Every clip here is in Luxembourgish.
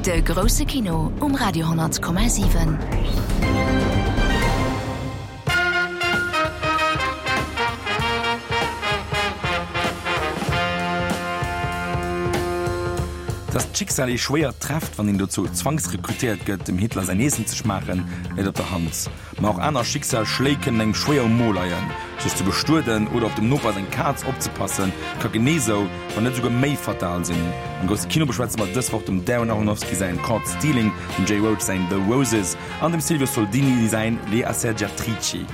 De grousse Kino um Radio 10,7. Dass d'Schicksal ee schwéier trefft, wann een dozou zwangsrekrutéiert gëtt, dem Hitler säin Eessen ze schmaachen, läit op der Hand. Ma och aner Schicksalsschléi kënnen engem schwéier um Mo leien. Sech ze bestueden oder op dem Noper seng Kaz opzepassen, ka genee sou, wann net esouguer méi fatal sinn. Am grousse Kino beschwätze mer dës Woch dem Darren Aronofsky säin Caught Stealing, dem Jay Roach säin The Roses an dem Silvio Soldini säin Le Assergiatrici.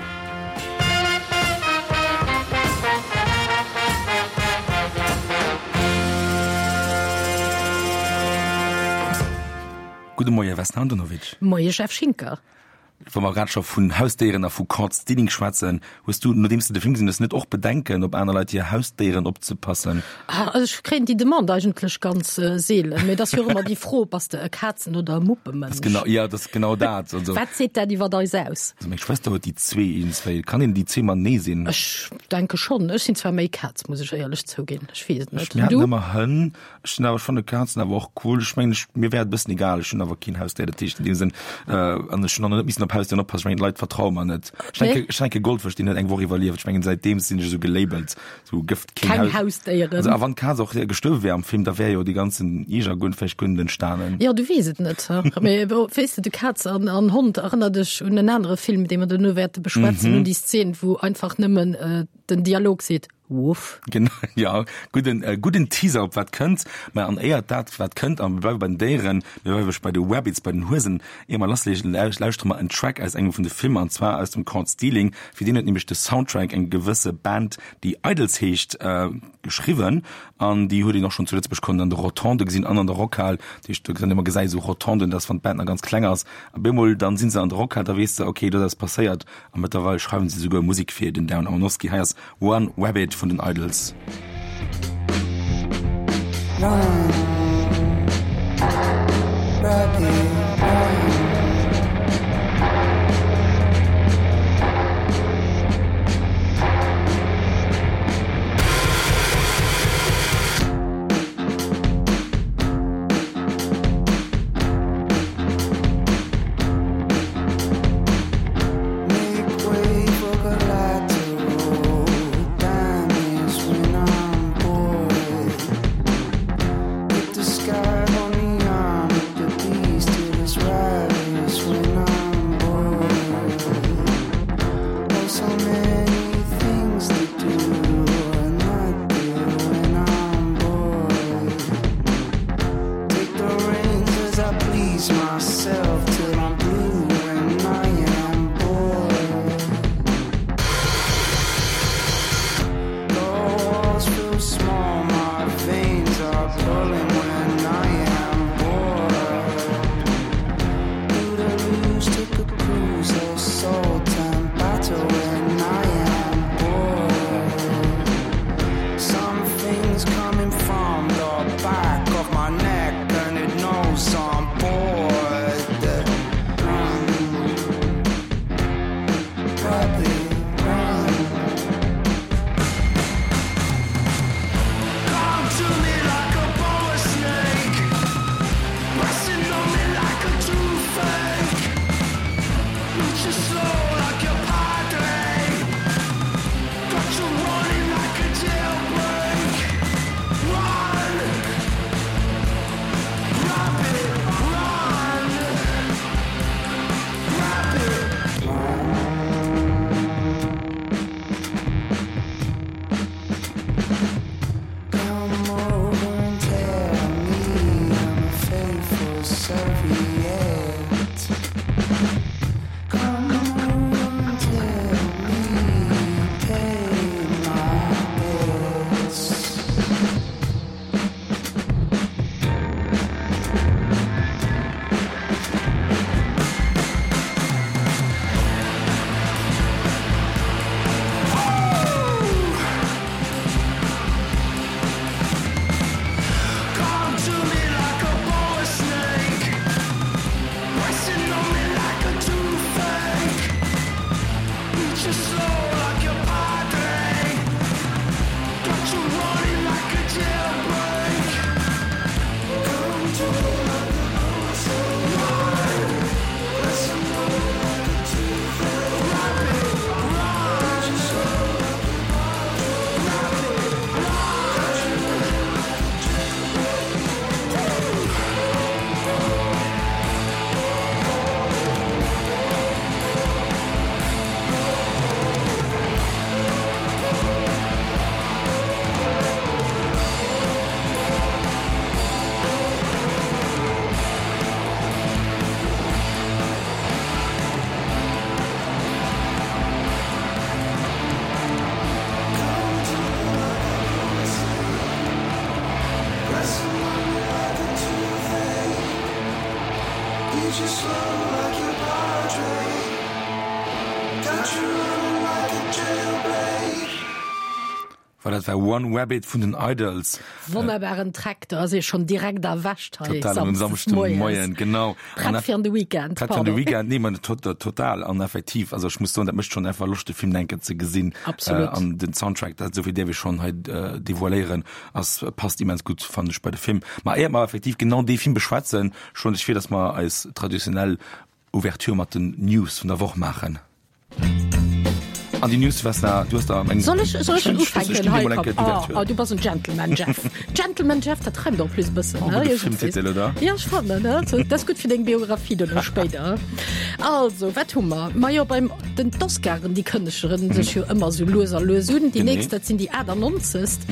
Gudde Moie Vesna Andonovic. Moie Jeff Schinker. Wa mer grad scho vun Hausdéieren a vu Caught Stealing schwätzen, hues du, nodeems de de Film gesinn hues, net och Bedenken, op aner Leit hir Hausdéieren opzepassen? Ah, also ech kréien déi Demande eigentlech ganz seelen, mee et ass jo och ëmmer déi Fro, bass de e Kazen oder e Muppemënsch? Genau, ja, dat ass genau dat. Also, Wat seet dat iwwer eis aus? Also meng Schwëster huet déi zwee iergendswéi. Kann een déi zwee matenee sinn? Ech denke schonn. Ech sinn zwar méi Kaz, muss ech éierlech zouginn. Ech weess et net. Mir haten ëmmer Hënn. Ech sinn awer, ech fanne Kazen awer och cool. Ech mengen, ech, mir wär et e bëssen egal. Ech hunn awer keen Hausdéier, dat heescht an deem Sënn, an ech hunn och nach net missen op Hausdéieren oppassen. Ech mengen, d'Leit vertraue mer net. Ech denke, ech denke Goldfësch, deen huet eng Woch iwwerlieft. Ech mengen, säitdeem sinn ech esou gelabelt, esou gëff keen Keng Haus. Hausdéieren. Also, a wann d'Kaz och gestuerwe wär am Film, da wär jo dee ganzen Ierger guer, vläicht guer net entstanen. Jo, du weess et net. Mee weess de, de Kaz an, an Hond erënnert dech un en anere Film, dee mer duerno wäerte beschwätzen, un déi Szen, wou einfach nëmmen den Dialog seet, Wuff. Genau, ja, gudden, äh, gudden Teaser op wat kënnt. Mä an éiert dat wat kënnt, a mir bleiwe bei den Déieren, mir bleiwe bei de Rabbits, bei den Huesen, ier mer lassleeën, lauschtere mer en Track aus engem vun de Filmer, an zwar aus dem Caught Stealing. Fir deen huet nämlech de Soundtrack eng gewësse Band, déi Idles heescht, äh, geschriwwen. An déi huet een och schonn zu Lëtzebuerg konnen an de Rotonde gesinn an an der Rockhal. Dat heescht, do kënnt ëmmer gesäit esou Rotonden, dass wann d'Band nach ganz kleng ass, a bemol dann si se an der Rockhal, da weess de, okay, do ass eppes passéiert. A mëttlerweil schreiwen se souguer Musek fir den Darren Aronofsky. Hei ass One Rabbit vun den Idles. One rabbit, run. Voilà, dat war One Rabbit vun den Idles. Wonnerbaren Track, do ass ee schonn direkt erwächt hei Total, um Samschdes moies. Moien, genau. Prett fir an de Weekend, Prett fir an de Weekend, nee, ma total an effektiv. Also ech muss soen, dat mécht schonn einfach Loscht, de Film enke ze gesinn. Absolut. An den Soundtrack, dat esouvill däerf ech schonn hei devoiléieren, ass, passt immens gutt, fannen ech, bei de Film. Ma éiert mer effektiv genau dee Film beschwätzen, schloen ech vir, dass mer eis traditionell Ouverture mat den News vun der Woch maachen. An déi News, Vesna, du hues der eng. Soll ech, soll ech schon ufänken? Hei, komm. Oh, oh, du bass en Gentleman, Jeff. Gentleman Jeff, dat reimt en plus e bëssen. Oh, gudde Filmtitel, oder? Ja, ech fannen, ne? Dat ass gutt fir deng Biografie duerno spéider. Also, wat hu mer? Majo, beim den d'Oscaren, déi kënnegeren sech jo ëmmer sou lues a lues un. Déi nächst, dat sinn déi 98.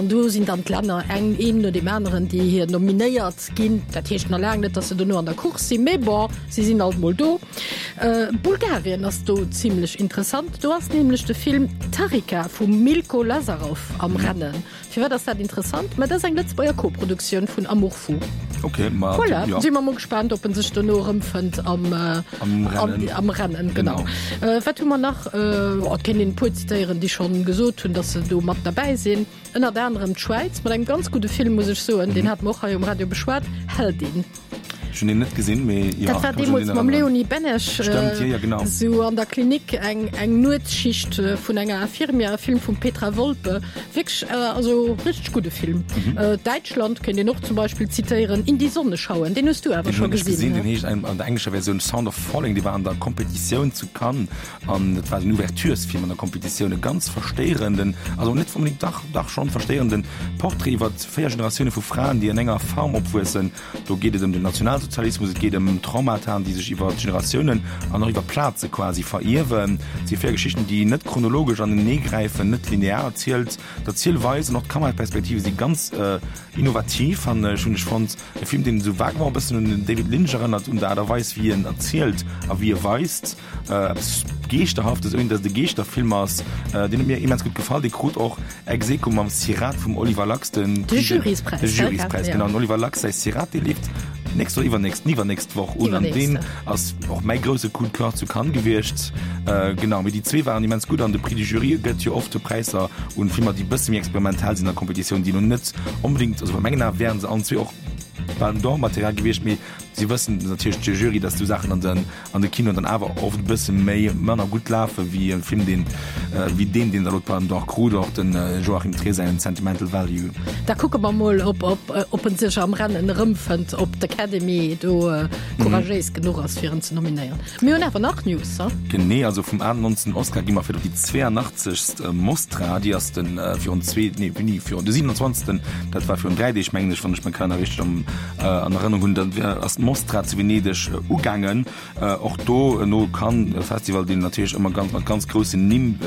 An do sinn dann d'Länner eng, een no deem aneren, déi hir nominéiert ginn. Dat heescht nach laang net, datt se dono an der Course sinn, mee bon, si sinn alt mol do. Bulgarien ass do zimlech interessant. Do ass nämlech de Film Tarika vum Milko Lazarov am Rennen. Firwat ass dat interessant? Ma dat ass eng Lëtzebuerger Koproduktioun vun Amour Fou. Ok, ma Voilà, ja. si mer mol gespaant, ob en sech dono erëmfënnt am, Am Rennen. Am, am Rennen, genau. Genau. Wat hu mer nach? Oh, et kéint een e puer zitéieren, déi schonn gesot hunn, datt se do mat derbäi sinn. Ënnert anerem d'Schwäiz mat engem ganz gudde Film, muss ech soen, deen hate mer och hei um Radio beschwat, Heldin. Ech hunn deen net gesinn, mee jo. Dat war deemools mam Léonie Benesch. Stëmmt, jo, jo, genau. Sou an der Klinik eng, eng Nuetsschicht vun enger Infirmière, e Film vum Petra Volpe. Wierklech, also richteg gudde Film. Däitschland kéint een och zum Beispill zitéieren, In die Sonne schauen, deen hues du awer scho gesinn. Deen hunn ech gesinn, deen heescht an der englescher Versioun Sound of Falling, dee war an der Competitioun zu Cannes. An et war den Ouverturesfilm an der Competitioun, e ganz verstéierenden, also net onbedéngt, dach, dach schonn verstéierenden Portrait iwwer 4 Generatioune vu Fraen, déi an enger Farm opwuessen. Do geet et ëm den Nationalsozialismus, et geet ëm Traumataen, déi sech iwwer Generatiounen an och iwwer Plaze quasi verierwen. Et si 4 Geschichten, déi net chronologesch aneneegräifen, net linear erzielt. D'Erzielweis an och d'Kameraperspektive si ganz innovativ, fannen ech, hunn ech fonnt. E Film, deen esou vaguement e bëssen un den David Lynch erënnert, un der Aart a Weis, wéi en erzielt a wéi e weist. Eppes Geeschterhaftes, ouni datt et e Geeschterfilm ass. Deen huet mir immens gutt gefall. Dee krut och ex aequo mam Sirat vum Oliver Laxe den De Juryspräis, de Juryspräis, genau. Den Oliver Laxe säi Sirat, dee leeft nächst oder iwwernächst, iwwernächst Woch un. An deen ass och mäi grousse Coup de cœur zu Cannes gewiescht. Genau, mee déi zwee waren immens gutt. An de Prix du Jury gëtt jo oft Präisser un Filmer, déi e bësse méi experimentell sinn a Kompetitioun, déi elo net onbedéngt, also a mengen Ae wären se allen zwee och Palme d'Or Material gewiescht, mee si wëssen natierlech, de Jury, datt esou Saachen an den an de Kinoen dann awer oft e bësse méi manner gutt lafe wéi e Film, deen wéi deen, deen da lo d'Palme d'Or krut, och de Joachim Trier säin Sentimental Value. Da kucke mer mol, ob ob ob en sech am Rennen erëmfënnt, ob d'Academy do couragéis genuch ass, fir en ze nominéieren. Mir hunn awer nach News, ha? Genee, also vum 98. Oscar gi mer fir op déi 82. Mostra, déi ass de virun zwee, nee, wéini, virun de 27. Dat war virun 3 Deeg, mengen ech, wann ech mäi Kalenner richteg am an Erënnerung hunn, dann ass d'Mostra zu Venedeg ugaangen. Och do no Cannes, e Festival, deen natierlech ëmmer ganz mat ganz groussen Nimm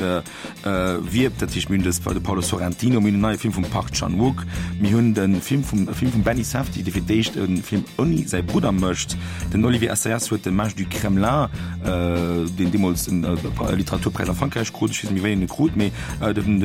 wierbt. Dat heescht, mir hunn dës de Paolo Sorrentino, mir hunn en neie Film vum Park Chan-wook, mir hunn de Film vum e Film vum Benny Safdie, dee fir d'éischt e Film ouni säi Brudder mécht. Den Olivier Assayas huet de Mage du Kremlin, deen deemools en Literaturpräis a Frankräich krut, ech weess net méi wéi en e krut, mee den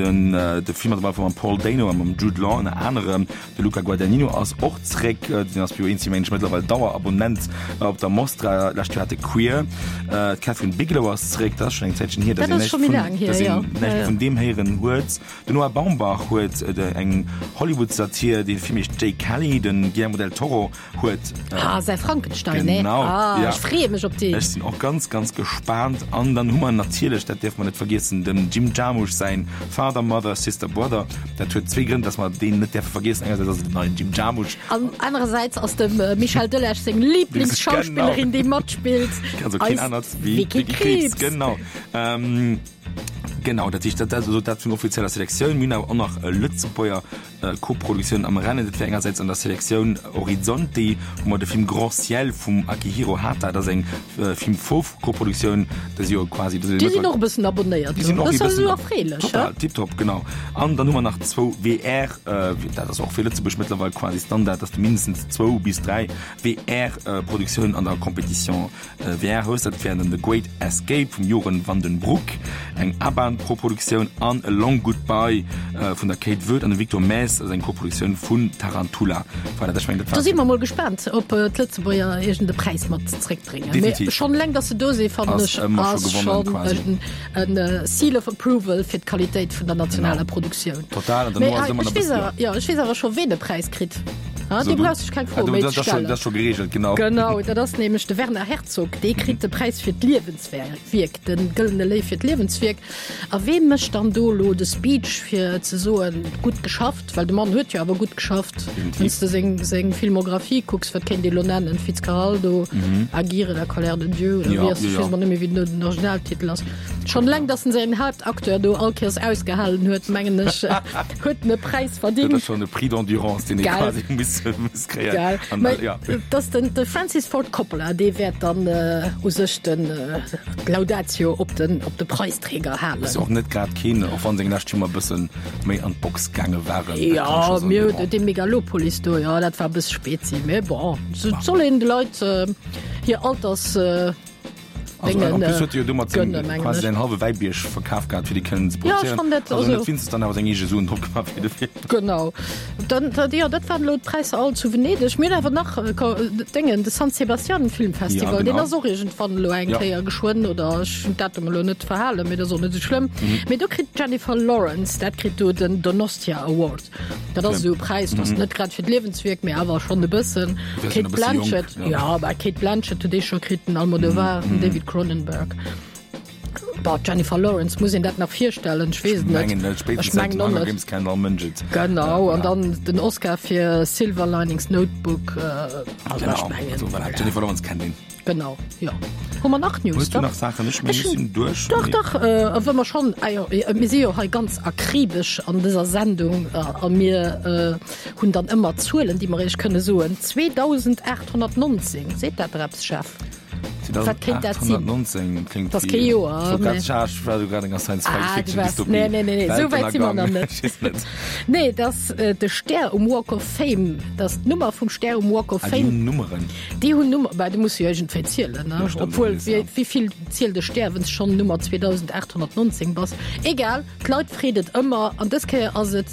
de Film ass op alle Fall mam Paul Dano a mam Jude Law ënner anerem. De Luca Guadagnino ass och zréck, deen ass jo eens mengen ech mëttlerweil Dauerabonnent op der Mostra. Lescht Joer hat e Queer. D'Kathryn Bigelow ass zréck, dat ass schonn eng Zäitchen hier, datt een näischt vun, datt een näischt vun deem héieren huet. Den Noah Baumbach huet eng Hollywood-Satir, dee Film heescht Jay Kelly. De Guillermo del Toro huet. Ah, säi Frankenstein, ne? Genau, ah, ja. Ech freeë mech op deen. Ech sinn och ganz, ganz gespaant. An dann hu mer natierlech, dat däerfe mer net vergiessen, dem Jim Jarmusch säin Father, Mother, Sister, Brother. Dat huet zwee Grënn, dass mer deen net däerfe vergiessen. Engersäits ass et den neien Jim Jarmusch. An anerersäits ass dem Michel Delage seng Lieblingsschauspillerin, déi matspillt, Also keen eis anert wéi Vicky d'Vicky Krieps. Krieps. Genau. Ähm, genau, dat heescht, dat, dat, also dat vun offizieller Selektioun. Mir hunn awer och nach e Lëtzebuerger Koproduktioun am Rennen, dat wär engersäits an der Selektioun Orizzonti, wou mer de Film Grand Ciel vum Akihiro Hata, dat ass eng Film-Fauve-Koproduktioun, dat si jo quasi. Déi sinn och e bëssen abonnéiert Déi sinn do, och e dat ass bëssen esou erfreelech, he? Total, tiptop, genau. An dann hu mer nach zwou WR, dat ass och fir Lëtzebuerg mëttlerweil quasi Standard, dass de mindestens zwou bis dräi WR-Produktiounen an der Compétition VR Host, dat wären dann The Great Escape vum Joren van den Broek, eng Aban-Koproduktioun, an A Long Goodbye vun der Kate Voet an dem Victor Maes. Ass eng Koproduktioun vun Tarantula. Voilà, dat, ech mengen, dat war. Do si mer mol gespaant, ob d'Lëtzebuerger iergend e Präis mat zréckbréngen. Definitiv. Mee schonn eleng, datt se do sinn, fannen ech, ass schonn en, en Seal of Approval fir d'Qualitéit vun der nationaler Produktioun. Total, an dann ass ëmmer nach e bëssen, jo. Ech weess awer scho, ween e Präis kritt. Ah, do brauchs du dech keng Froe méi ze stellen. Dat ass scho gereegelt, genau. Genau, dat ass nämlech de Werner Herzog. Dee kritt de Präis fir d'Liewenswierk, de Gëllene Léiw fir d'Liewenswierk. A wee mécht dann do elo de Speech fir ze soen, gutt geschafft? Well de Mann huet jo awer gutt geschafft. Wann s de seng, seng Filmographie kucks, wat kéint ee lo nennen? Fitzcarraldo, Aguirre, la colère de Dieu oder wéi ass, ech weess emol net méi wéi den Originaltitel ass. Schonn eleng, datt en säin Haaptacteur do all Kéiers ausgehalen huet, mengen ech, huet en e Präis verdingt. Dat ass schonn e Prix d'endurance, deen ee quasi muss, muss kréien. Gell. Mä et ass den, de Francis Ford Coppola, dee wäert dann u sech den, d'Laudatio op den, op de Preisträger halen. Ass jo och net grad keen, och wann seng lescht Filmer e bësse méi an d'Box gaange waren. Jo, mir hunn dee Megalopolis do, jo, dat war e bësse spezi, mä bon, et soll een de Leit hir Alters. Also, en plus huet e jo domat seng, quasi säin hallwe Wäibierg verkaf gehat, fir déi kënnen ze produzéieren. Ja, ech fannen dat, also. Also net wéinstens dann awer seng eege Suen drop gemaach fir de Film. Genau. Dann, dat, jo, dat waren elo d'Präisser all zu Venedeg. Mir hunn awer nach Déngen, de San Sebastian Filmfestival, ja, genau. deen ass och iergendwann elo eng ja. Kéier geschwënn, oder ech hunn d'Datum elo net verhalen, mee dat ass och net esou schlëmm. Mhm. Mee do kritt d'Jennifer Lawrence, dat kritt do den Donostia Award. Dat ass esou e Präis, dat ass mhm. net grad fir d'Liewenswierk, mee awer schonn e bëssen. Cate Blanchett, ja, ja bah, Cate Blanchett huet dee scho kritt, den Almodovar, mhm. den David Cronenberg. Bah, Jennifer Lawrence, muss een dat nach virstellen? Ech weess et net. Ech mengen och net. Genau, an dann den Oscar fir Silver Linings Notebook. Also ech mengen, voilà. Jennifer Lawrence kennt een. Genau, jo. Hu mer nach News? Hues du nach Saachen? Ech mengen, ech sinn duerch. Dach, dach, wa mer schonn, ah jo, mir si jo hei ganz akribesch an dëser Sendung a mir hunn dann ëmmer Zuelen, déi mer Iech kënne soen. 2819, seet dat der eppes, Jeff? Wat kéint dat sinn? 2819 klingt Das kee Joer. Nee, nee, nee, nee. Sou wäit si mer nach net. Nee, dass äh, de Stär um Walk of Fame, dass d'Nummer vum Stär um Walk of ah, Fame. Déi hunn Nummeren. Déi hunn Nummer, bah, du muss jo iergendwéi zielen, ne? Ja, Obwuel, wéi, wéi vill zielt de Stär, wenn's schonn Nummer 2819 bass? Egal. D'Leit freet et ëmmer an dës Kéier ass et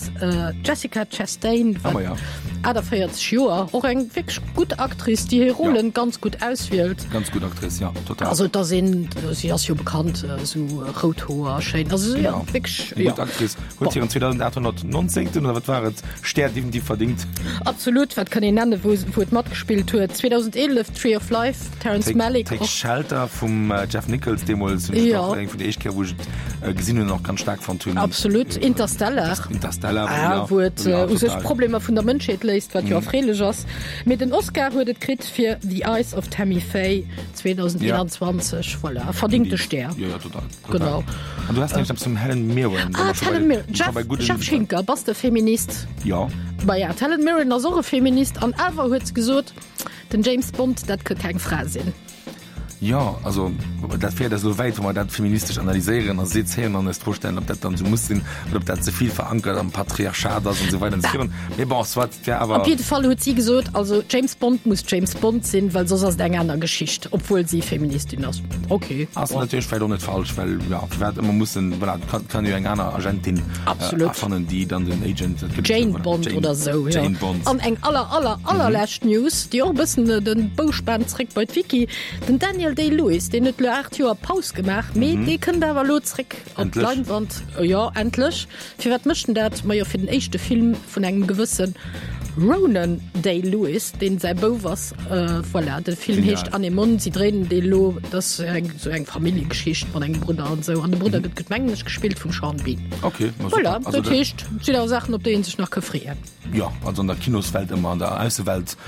d'Jessica Chastain, wat 48 Joer, och eng wierklech gutt Actrice, déi hir Rollen ganz gutt auswielt. Ganz gutt Actrice, jo, total. Also et ass een, si ass jo bekannt, esou rout Hoer, schéin, also jo, wierklech, jo. Eng gutt Actrice, huet hiren 2819. oder wat war et, Stär definitiv verdingt. Absolut, wat kann een nennen, wou et matgespillt huet, 2011 Tree of Life. Terrence Malick Take Shelter vum Jeff Nichols deemools hunn ech och eng vun de éischt Kéier wou ech et gesinn hunn och ganz staark fonnt hunn. Absolut, Interstellar. Interstellar, ah, wou et u sech d'Problemer vun der Mënschheet léist, wat jo erfreelech ass. Mee den Oscar huet et kritt fir The Eyes of Tammy Faye 2021. Voilà, verdingte Stär. Jo, jo, total. Genau. An du has nämlech eppes vum Helen Mirren. Ah, d'Helen Mirren. Jeff, Jeff Schinker, bass de Feminist? Jo. Maja, d'Helen Mirren ass och e Feminist an awer huet se gesot, Den James Bond, dat ka keng Fra sinn. Jo, also dat féiert eis elo wäit, wa mer dat feministesch analyséieren a sezéieren an eis d'Fro stellen, ob dat dann esou muss sinn oder ob dat ze vill verankert am Patriarchat ass an esou weider an esou virun. Mee bon, soit, et wär awer. Op jidde Fall huet si gesot, also James Bond muss James Bond sinn, well soss ass et eng aner Geschicht, obwuel si Feministin ass. Ok. Ass natierlech vläicht och net falsch, well jo, firwat ëmmer mussen, voilà, et kann, kann jo eng aner Agentin erfannen, déi dann den Agent, dat gëtt et jo, Jane voilà, Bond oder esou, jo. Jane Bond. An eng aller, aller, allerlescht News, déi och e bëssen den Bou spaant zréck bei d'Wiki, Den Daniel Day-Lewis, deen huet elo 8 Joer Paus gemaach, mee dee kënnt awer elo zréck op d'Leinwand. Jo, endlech. Firwat mécht en dat? Majo, fir den éischte Film vun engem gewësse Ronan Day-Lewis, deen säi Bouf ass. Voilà, de Film heescht Anemone. Si dréinen dee elo. Dat ass eng esou eng Familljegeschicht mat engem Brudder an esou. An de Brudder gëtt, mengen ech, gespillt vum Sean Bean. Ok, ma super. Voilà, dat heescht, et sinn awer Saachen, op déi ee sech nach ka freeën. Jo, also an der Kinoswelt ëmmer, an der Aussewelt,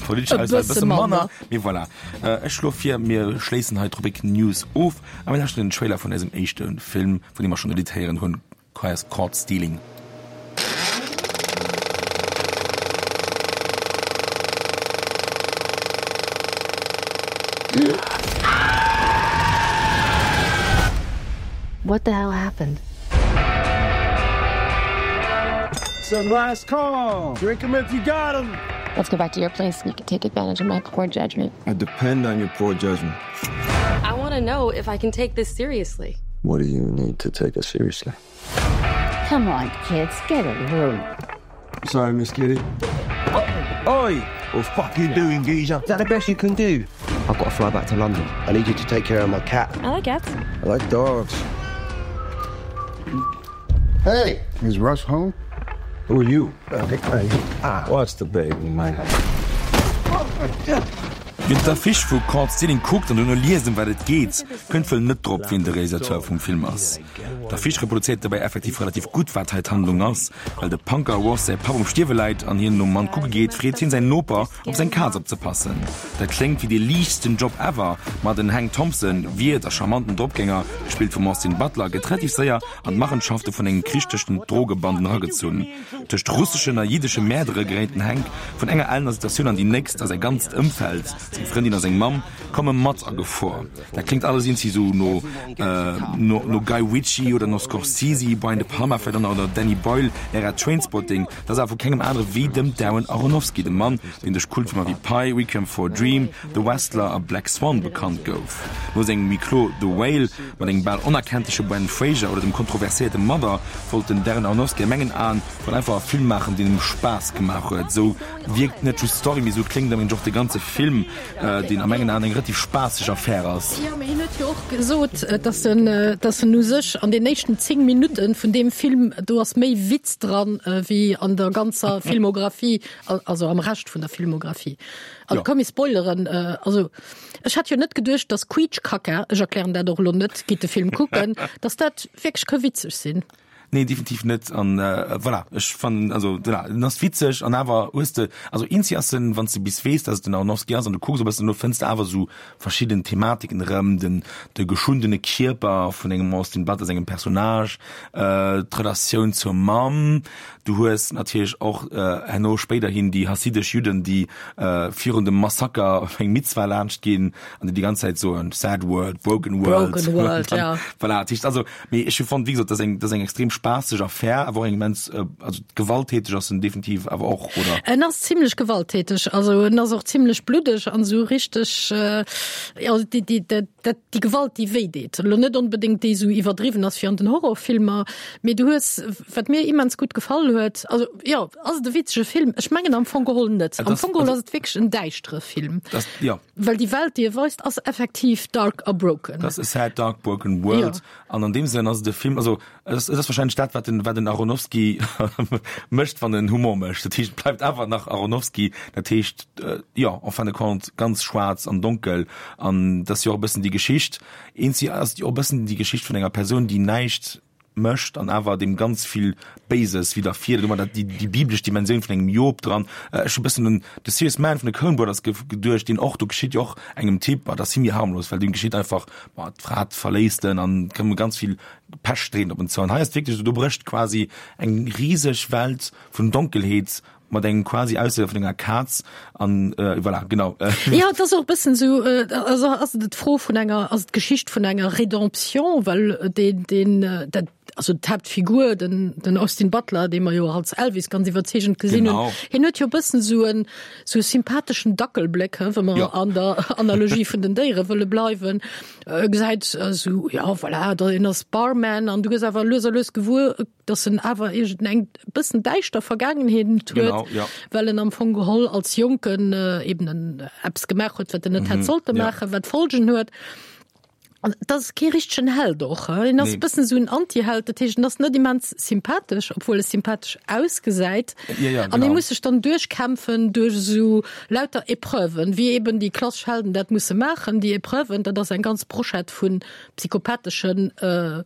politescher Aussewelt e bësse manner. Mee voilà. Ech schloe vir, mir schléissen hei d'Rubrik News of a mir lauschteren den Trailer vun eisem éischte Film, vun deem mer schonn e Lidd héieren hunn, Caught Stealing. What the hell happened? Said last call. Drink 'em if you got 'em. Let's go back to your place and you can take advantage of my poor judgment. I depend on your poor judgment. I want to know if I can take this seriously. What do you need to take us seriously? Come on, kids, get a room. Sorry, Miss Kitty. Oi! What the fuck you doing, geezer? Is that the best you can do? I've got to fly back to London. I need you to take care of my cat. I like cats. I like dogs. Hey, is Russ home? Who are you? Ah, what's the baby, man? Wien d'Affiche vu Caught Stealing kuckt an dono liest ëm wat et geet, kënnt wuel net drop, wien de Realisateur vum Film ass. D'Affiche reproduzéiert dobäi effektiv relativ gutt, wat hei d'Handlung ass. Well de Punker Ross säi Papp um Stierwe läit an hien nom Mann kucke geet, freet hien säin Noper, op seng Kaz opzepassen. Dat kléngt wéi dee liichtsten Job ever, ma den Hank Thompson, Wiert a charmanten Dropgänger, gespillt vum Austin Butler, gëtt relativ séier an d'Machenschafte vun engem Krich tëscht den Drogebanden eragezunn. Tëscht russeschen a jiddesche Mäerdere geréit den Hank vun enger ellener Situatioun an déi nächst a säi ganzt Ëmfeld, seng Frëndin a seng Mamm, komme mat a Gefor. Dat kléngt alles iergendwéi sou no no Guy Ritchie oder no Scorsese, Brian De Palma vläicht och nach oder Danny Boyle, Ära Trainspotting. Dat ass awer vu kengem anere wéi dem Darren Aronofsky, dem Mann, deen duerch Kultfilmer wéi Pi, Requiem for a Dream, The Wrestler a Black Swan bekannt gouf. No sengem Huis clos The Whale mat engem bal onerkenntleche Brendan Fraser oder dem kontroverséierte Mother wollt den Darren Aronofsky a mengen Aen wuel einfach e Film maachen, deen em Spaass gemaach huet. Esou wierkt net just d'Story, mee esou kléngt am Enn och de ganze Film, deen a mengen Aen eng relativ spaasseg Affär ass. Jo, mee hien huet jo och gesot, dass en, dass en u sech an den éischten 10 Minutten vun deem Film, do ass méi Witz dran wéi an der ganzer Filmographie, also am Rescht vun der Filmographie. Also ja. komm ich spoileren äh, also ech hat jo net geduecht dass Quietschkacker ech erklären dat och lo net gitt de Film kucken dass dat wierklech ka witzeg sinn. Nee definitiv net an äh, voilà ech fannen also voilà, en ass witzeg an awer hues de also eenzi ass en wann s de bis weess dass et den Aronofsky ass an du kucks e bëssen no fënns de awer sou verschidden Thematiken erëm den de geschundene Kierper vun engem Austin Butler sengem Personnage äh, d'Relatioun zur Mamm Du hues natierlech och herno spéiderhin déi hassidesch Judden, déi virun dem Massaker op eng Mitzwa laanscht ginn an déi déi ganz Zäit soen, Sad world, broken world. Broken world, ja. Voilà, dat heescht also, mee ech hu fonnt, wéi gesot, dat ass eng, dat ass eng extrem spaasseg Affär, awer och eng immens, also gewalttäteg ass en definitiv awer och, oder? En ass zimlech gewalttäteg, also en ass och zimlech bluddeg an esou richteg, jo, déi, déi, dat, dat, déi Gewalt, déi wéi deet. Elo net onbedéngt déi esou iwwerdriwwen ass wéi an den Horrorfilmer, mee du hues, Wat mir immens gutt gefall huet, also jo, ass et e witzege Film? Ech mengen am Fong geholl net. Am Fong geholl ass et wierklech en däischtere Film. Das, ja. Well déi Welt, déi e weist, ass effektiv dark a broken. Das ass a sad, dark, broken world. Ja. An an deem Sënn ass et e Film, also et ass, et ass wahrscheinlech dat, wat den, wat den Aronofsky mécht, wann en Humor mécht. Dat heescht, et bleift awer nach Aronofsky, dat heescht, jo, en fin de compte ganz schwaarz an donkel. An dat ass jo och e bëssen déi Geschicht, eenzi ass jo och e bëssen déi Geschicht vun enger Persoun, déi näischt mécht an awer deem ganz vill Béises widderfiert. Elo dat déi déi biblesch Dimensioun vun engem Job dran. Ech hu bëssen un The Serious Man vun de Coen Brothers geduecht, deen och, do geschitt jo och engem Typ, ma dat ass zimlech harmlos, well deem geschitt einfach, ma d'Fra verléisst en an et komme ganz vill Pech dreent op en zou. An hei ass et wierklech esou, do brécht quasi eng riseg Welt vun Donkelheet Mat engem quasi Aussehe vun enger Kaz an äh, voilà, genau. Ja, et ass och e bëssen esou, also ass et d'Fro vun enger, ass et d'Geschicht vun enger Rédemption, well deen, deen, dat, also d'Haaptfigur, den, den Austin Butler, dee mer jo als Elvis ganz iwwerzeegend gesinn hunn, hien huet jo e bëssen esou en, esou e sympatheschen Dackelbléck, he, wa mer ja. an der Analogie vun den Déiere wëlle bleiwen. E gesäit esou, ja voilà, da en ass Barman an du gëss awer lues a lues gewuer, dass en awer iergend eng bëssen däischter Vergaangenheet huet, genau, ja. well en am Fong geholl als Jonken äh, eben en äh, eppes gemaach huet, wat en net mm -hmm. hätt sollte maachen, ja. wat Folgen huet. An dat ass kee richtegen Held och. En ass nee. bëssen esou en Antiheld, dat heescht, en ass net immens sympathesch, obwuel e sympathesch ausgesäit. Ja, ja, An e muss sech dann duerchkämpfen duerch esou lauter Epreuven, wéi eben déi klassesch Helden dat musse maachen. Déi Epreuven, dat ass eng ganz Brochette vun psychopathesche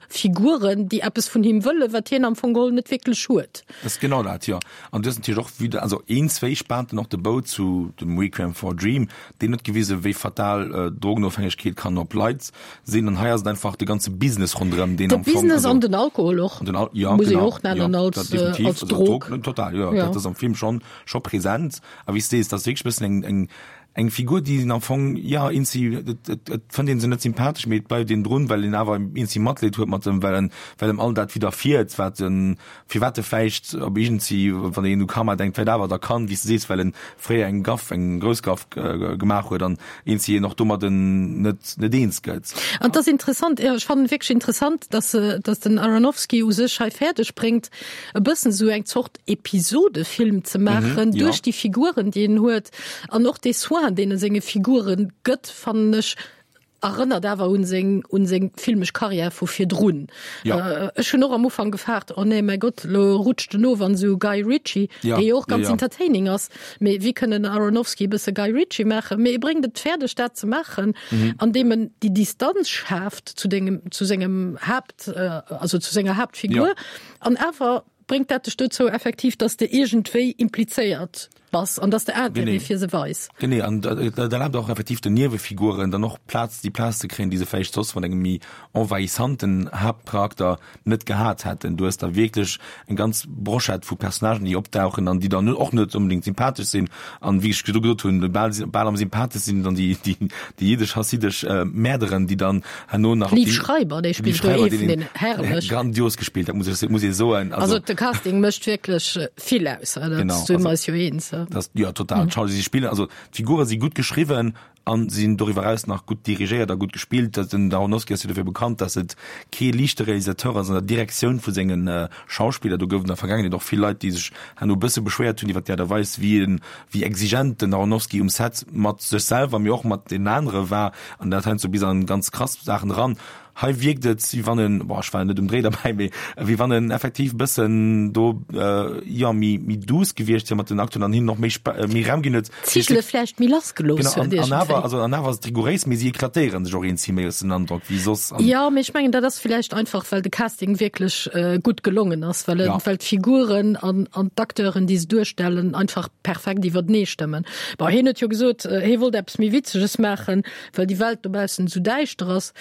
Figuren, déi eppes vun him wëllen, wat hien am Fong geholl net wierklech huet. Dat ass genau dat, jo. An du hues natierlech och wieder, also een, zwéi spaant en och de Bou zu dem Requiem for a Dream, deen huet gewisen, wéi fatal Drogenofhängegkeet kann op Leit sinn. An hei ass et einfach de ganze Business ronderëm, deen am Fong. De Business an den Alkohol och, an den Al, ja, muss ee genau, och nennen jo, als, dat definitiv, als also Drog. Drog, total, jo, Ja. dat ass am Film schonn, scho present. A wéi s de sees, dat ass wierklech e bëssen eng, eng. Eng Figur, déi een am Fong, jo, eenzi, et, et, et fënnt een se net sympathesch, mee et bleift een drun, well een awer eenzi Matleed huet mat em, well en, well em all dat widderfiert, wat en, firwat e vläicht op iergendsi, wann een u Karma denkt, vläicht awer da kann, wéi s de sees, well en fréier eng Gaff, eng grouss Gaff gemaach huet an eenzi een och domadden net, net eens gëtt. An et ass interessant, jo, ech fannen et wierklech interessant, dass, dass den Aronofsky u sech hei fäerdeg bréngt, e bëssen esou eng Zort Episodefilm ze maachen, mhm, duerch ja. déi Figuren, déi en huet an och dee Soin, deen e senge Figuren gëtt, fannen ech erënnert awer un seng un seng filmesch Karriär vu virdrun. Ja. Äh, ech hunn och am Ufang gefaart, oh nee, mäi Gott, lo rutscht en of an esou Guy Ritchie, ja. dee jo och ganz ja, ja. entertaining ass. Mee wéi kënn en Aronofsky e bësse Guy Ritchie maachen? Mee e bréngt et fäerdeg, dat ze maachen, mhm. andeem en déi Distanz schaaft zu dengem zu sengem Haapt äh, also zu senger Haaptfigur ja. an awer Bréngt dat dech dozou effektiv, dass de iergendwéi implizéiert bass an dass de Intérêt fir se weis? Genee, an dat erlaabt och effektiv den Niewefiguren dann och Plaz, déi Plaz ze kréien, déi se vläicht soss mat engem méi envahissanten Haaptcharakter net gehat hätten. Du hues da wierklech eng ganz Brochette vu Personnagen, déi opdauchen an déi dann och net onbedéngt sympathesch sinn. An wéi ech virdru gesot hunn, bal, bal am sympatheschste sinn dann déi, déi, déi jiddesch-chassidesch Mäerderen, déi dann herno nach Liev Schreiber, dee spillt do ee vun den herrlech. Grandios gespillt, dat muss ech, muss ee soen. Also de Casting mécht wierklech vill aus, dat Genau, si mer eis jo eens. Das, ja, total. Mhm. Schau, si spillen, also d'Figure si gutt geschriwwen an sinn doriwwer eraus nach gutt dirigéiert a gutt gespillt. Den Aronofsky ass jo dofir bekannt, dass et kee liichte Realisateur ass an der Direktioun vu sengen äh, Schauspiller. Do gouf et an der Vergaangenheet och vill Leit, déi sech herno e bësse beschwéiert hunn iwwer déi Aart a Weis, wéi en wéi exigent den Aronofsky um Set mat sech selwer, mee och mat deenen anere war, an dat heiansdo bis an ganz krass Saachen eran. Hei wierkt et, wéi wann en, bon, ech war net um Dréi derbäi, mee wéi wann en effektiv e bëssen do, jo, méi, méi douce gewiescht wier mat den Acteuren an hinnen och méi, méi Raum ginn huet. D'Zigele vläicht méi lass gelooss huet iergendwéi. Genau, an awer, also an awer ass et rigouréis, mee si eklatéiere sech och eens méi, hues den Androck, wéi soss. Jo, mee ech mengen, dat ass villäicht einfach, well de Casting wierklech gutt gelongen ass, well ja. well d'Figuren an, an d'Acteuren, déi se duerstellen, einfach perfekt iwwertenee stëmmen. Bon, hien huet jo gesot, äh, hie wollt eppes méi Witzeges maachen, well déi Welt dobaussen esou däischter ass.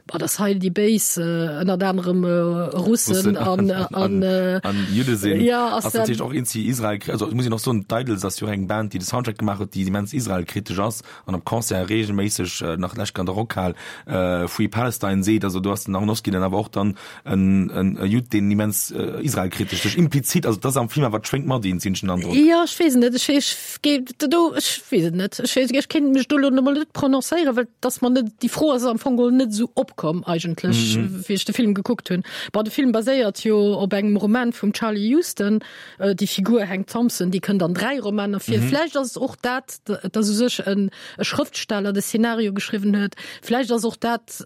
Bon, dass hei déi Béis äh, ënnert anerem äh, Russen an, an, an, an Judde sinn. Ja, ass ass natierlech och eenzi Israel, also muss een och soen, d'Idles ass jo och eng Band, déi de Soundtrack gemaach huet, déi immens israelkritesch ass. an op Concert regelméisseg nach lech an der Rockhal Free Palestine seet. Also do ass den Aronofsky dann awer och dann en en e Judd, deen immens israelkritesch sech implizit, also dat ass am Film awer, et schwéngt mat een, sinn ech den Androck. Jo, ech weess et net. Ech ech géif do, ech weess et net. Ech weess, ech kéint mech do elo emol net prononcéieren, well et ass mer net, déi Fro ass am Fong geholl net esou opkomm eigentlech, wéi ech de Film gekuckt hunn. Bon, de Film baséiert jo op engem Roman vum Charlie Huston. Déi Figur Hank Thompson, déi kënnt an 3 Romaner vir. Vläicht ass et och dat, dass u sech en e Schrëftsteller de Szenario geschriwwen huet. Vläicht ass och dat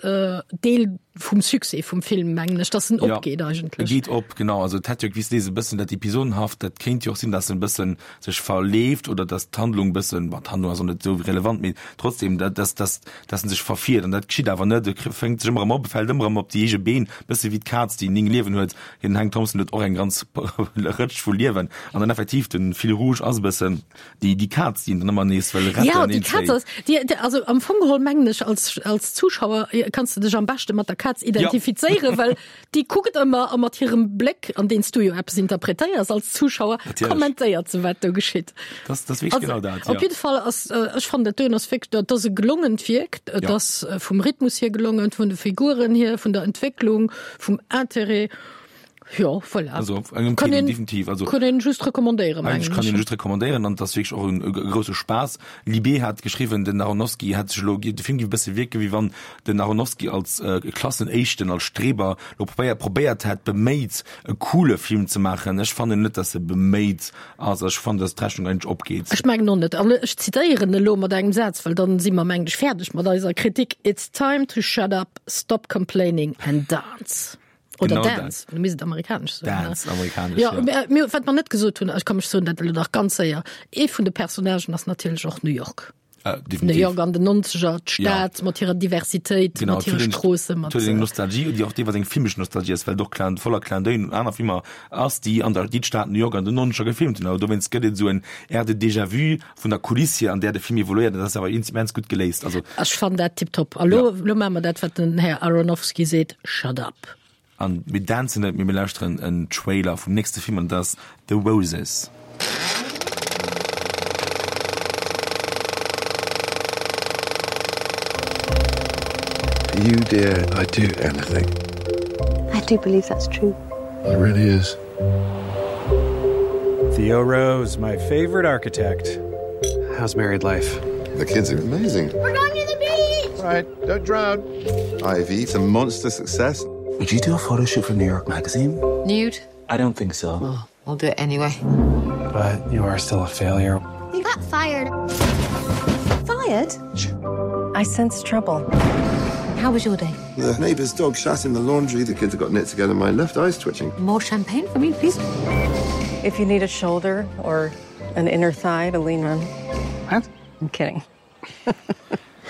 Deel vum Succès vum Film, mengen ech, dass en opgeet eigentlech. E geet op, genau. Also et hätt jo, wéi s de sees, e bëssen dat Episodenhaft, dat kéint jo och sinn, dass en e bëssen sech verleeft oder dass d'Handlung e bëssen, bon, d'Handlung ass och net esou relevant, mee trotzdem, dass, dass, dass en sech verfiert. An dat geschitt awer net. E fänkt sech ëmmer erëm op, e fält ëmmer erëm op déi eege Been, e bësse wéi d'Kaz, déi 9 Liewen huet. Den Hank Thompson huet och eng ganz Rëtsch vu Liewen. An dann effektiv, den Fil rouge ass e bëssen déi, déi Kaz, déi en dann ëmmer nees wëll retten. Ja, déi Kaz ass, déi, déi, also am Fong geholl mengen ech, als, als Zuschauer kanns du dech am beschte mat der Kaz identifizéieren, ja. well déi kuckt ëmmer a mat hirem Bléck, an deen s du jo eppes interpretéiers als Zuschauer, kommentéiert se, wat do geschitt. Das, das wierklech genau dat, ja. Op jidde Fall ass, ech fannen dat doen ass wierklech, dat ass e gelongent Wierk, et ja. ass vum Rhythmus hier gelongen, vun de Figuren hier, vun der Entwécklung, vum Intérêt. Jo, voilà. Also op engem Kann Kino, een, definitiv. Also kann een just recommandéieren, mengen ech. Kann een just recommandéieren an et ass wierklech och en e grousse Spaass. Libé hat geschriwwen, den Aronofsky hätt sech elo, de Film géif e bësse wierken, wéi wann den Aronofsky als Klassenéischten, als Streber elo probéiert, probéiert hätt, beméit, e coole Film ze maachen. Ech fannen net, datt e beméit ass. Ech fannen, datt d'Rechnung eigentlech opgeet. Ech mengen och net. An ech zitéieren elo mat engem Saz, well dann si mer, mengen ech, fäerdeg mat eiser Kritik, It's time to shut up, stop complaining and dance. Oder Genau dance, du misst et amerikanesch soen. Dance, amerikanesch, Ja, ja. mir, mir, wat mer net gesot hunn, ech komm, ech soen dat elo nach ganz séier, ee vun de Personnagen ass natierlech och New York. Äh, New definitiv. York an den 90er, d'Stad mat hirer Diversitéit, Genau, mat hire et huet eng- Stroosse, mat et huet eng Nostalgie, déi och deelweis eng filmesch Nostalgie ass, well et och Clin, voller Clin d'œil un aner Filmer ass, déi an der, déi d'Stad New York an den 90er gefilmt hunn. Awer dowéinst gëtt et esou en Air de déjà-vu vun der Kuliss hier, an där de Film evoluéiert, an dat ass awer immens gutt geléist. Also, Ech fannen dat tiptop. A lo, Ja. lo maache mer dat, wat den Här Aronofsky seet, Shut up. An mir dancen net, mee mir lauschteren en Trailer vum nächste Film, an dat ass The Roses. You, dear, I'd do anything. I do believe that's true. It really is. Theo Rose, my favorite architect. How's married life? The kids are amazing. We're going to the beach! Right, don't drown. Ivy, it's a monster success. Would you do a photo shoot for New York Magazine? Nude? I don't think so. Oh, I'll do it anyway. But you are still a failure. You got fired. Fired? I sense trouble. How was your day? The neighbor's dog shat in the laundry. The kids have got knit together. My left eye's twitching. More champagne for me, please. If you need a shoulder or an inner thigh to lean on. What? I'm kidding.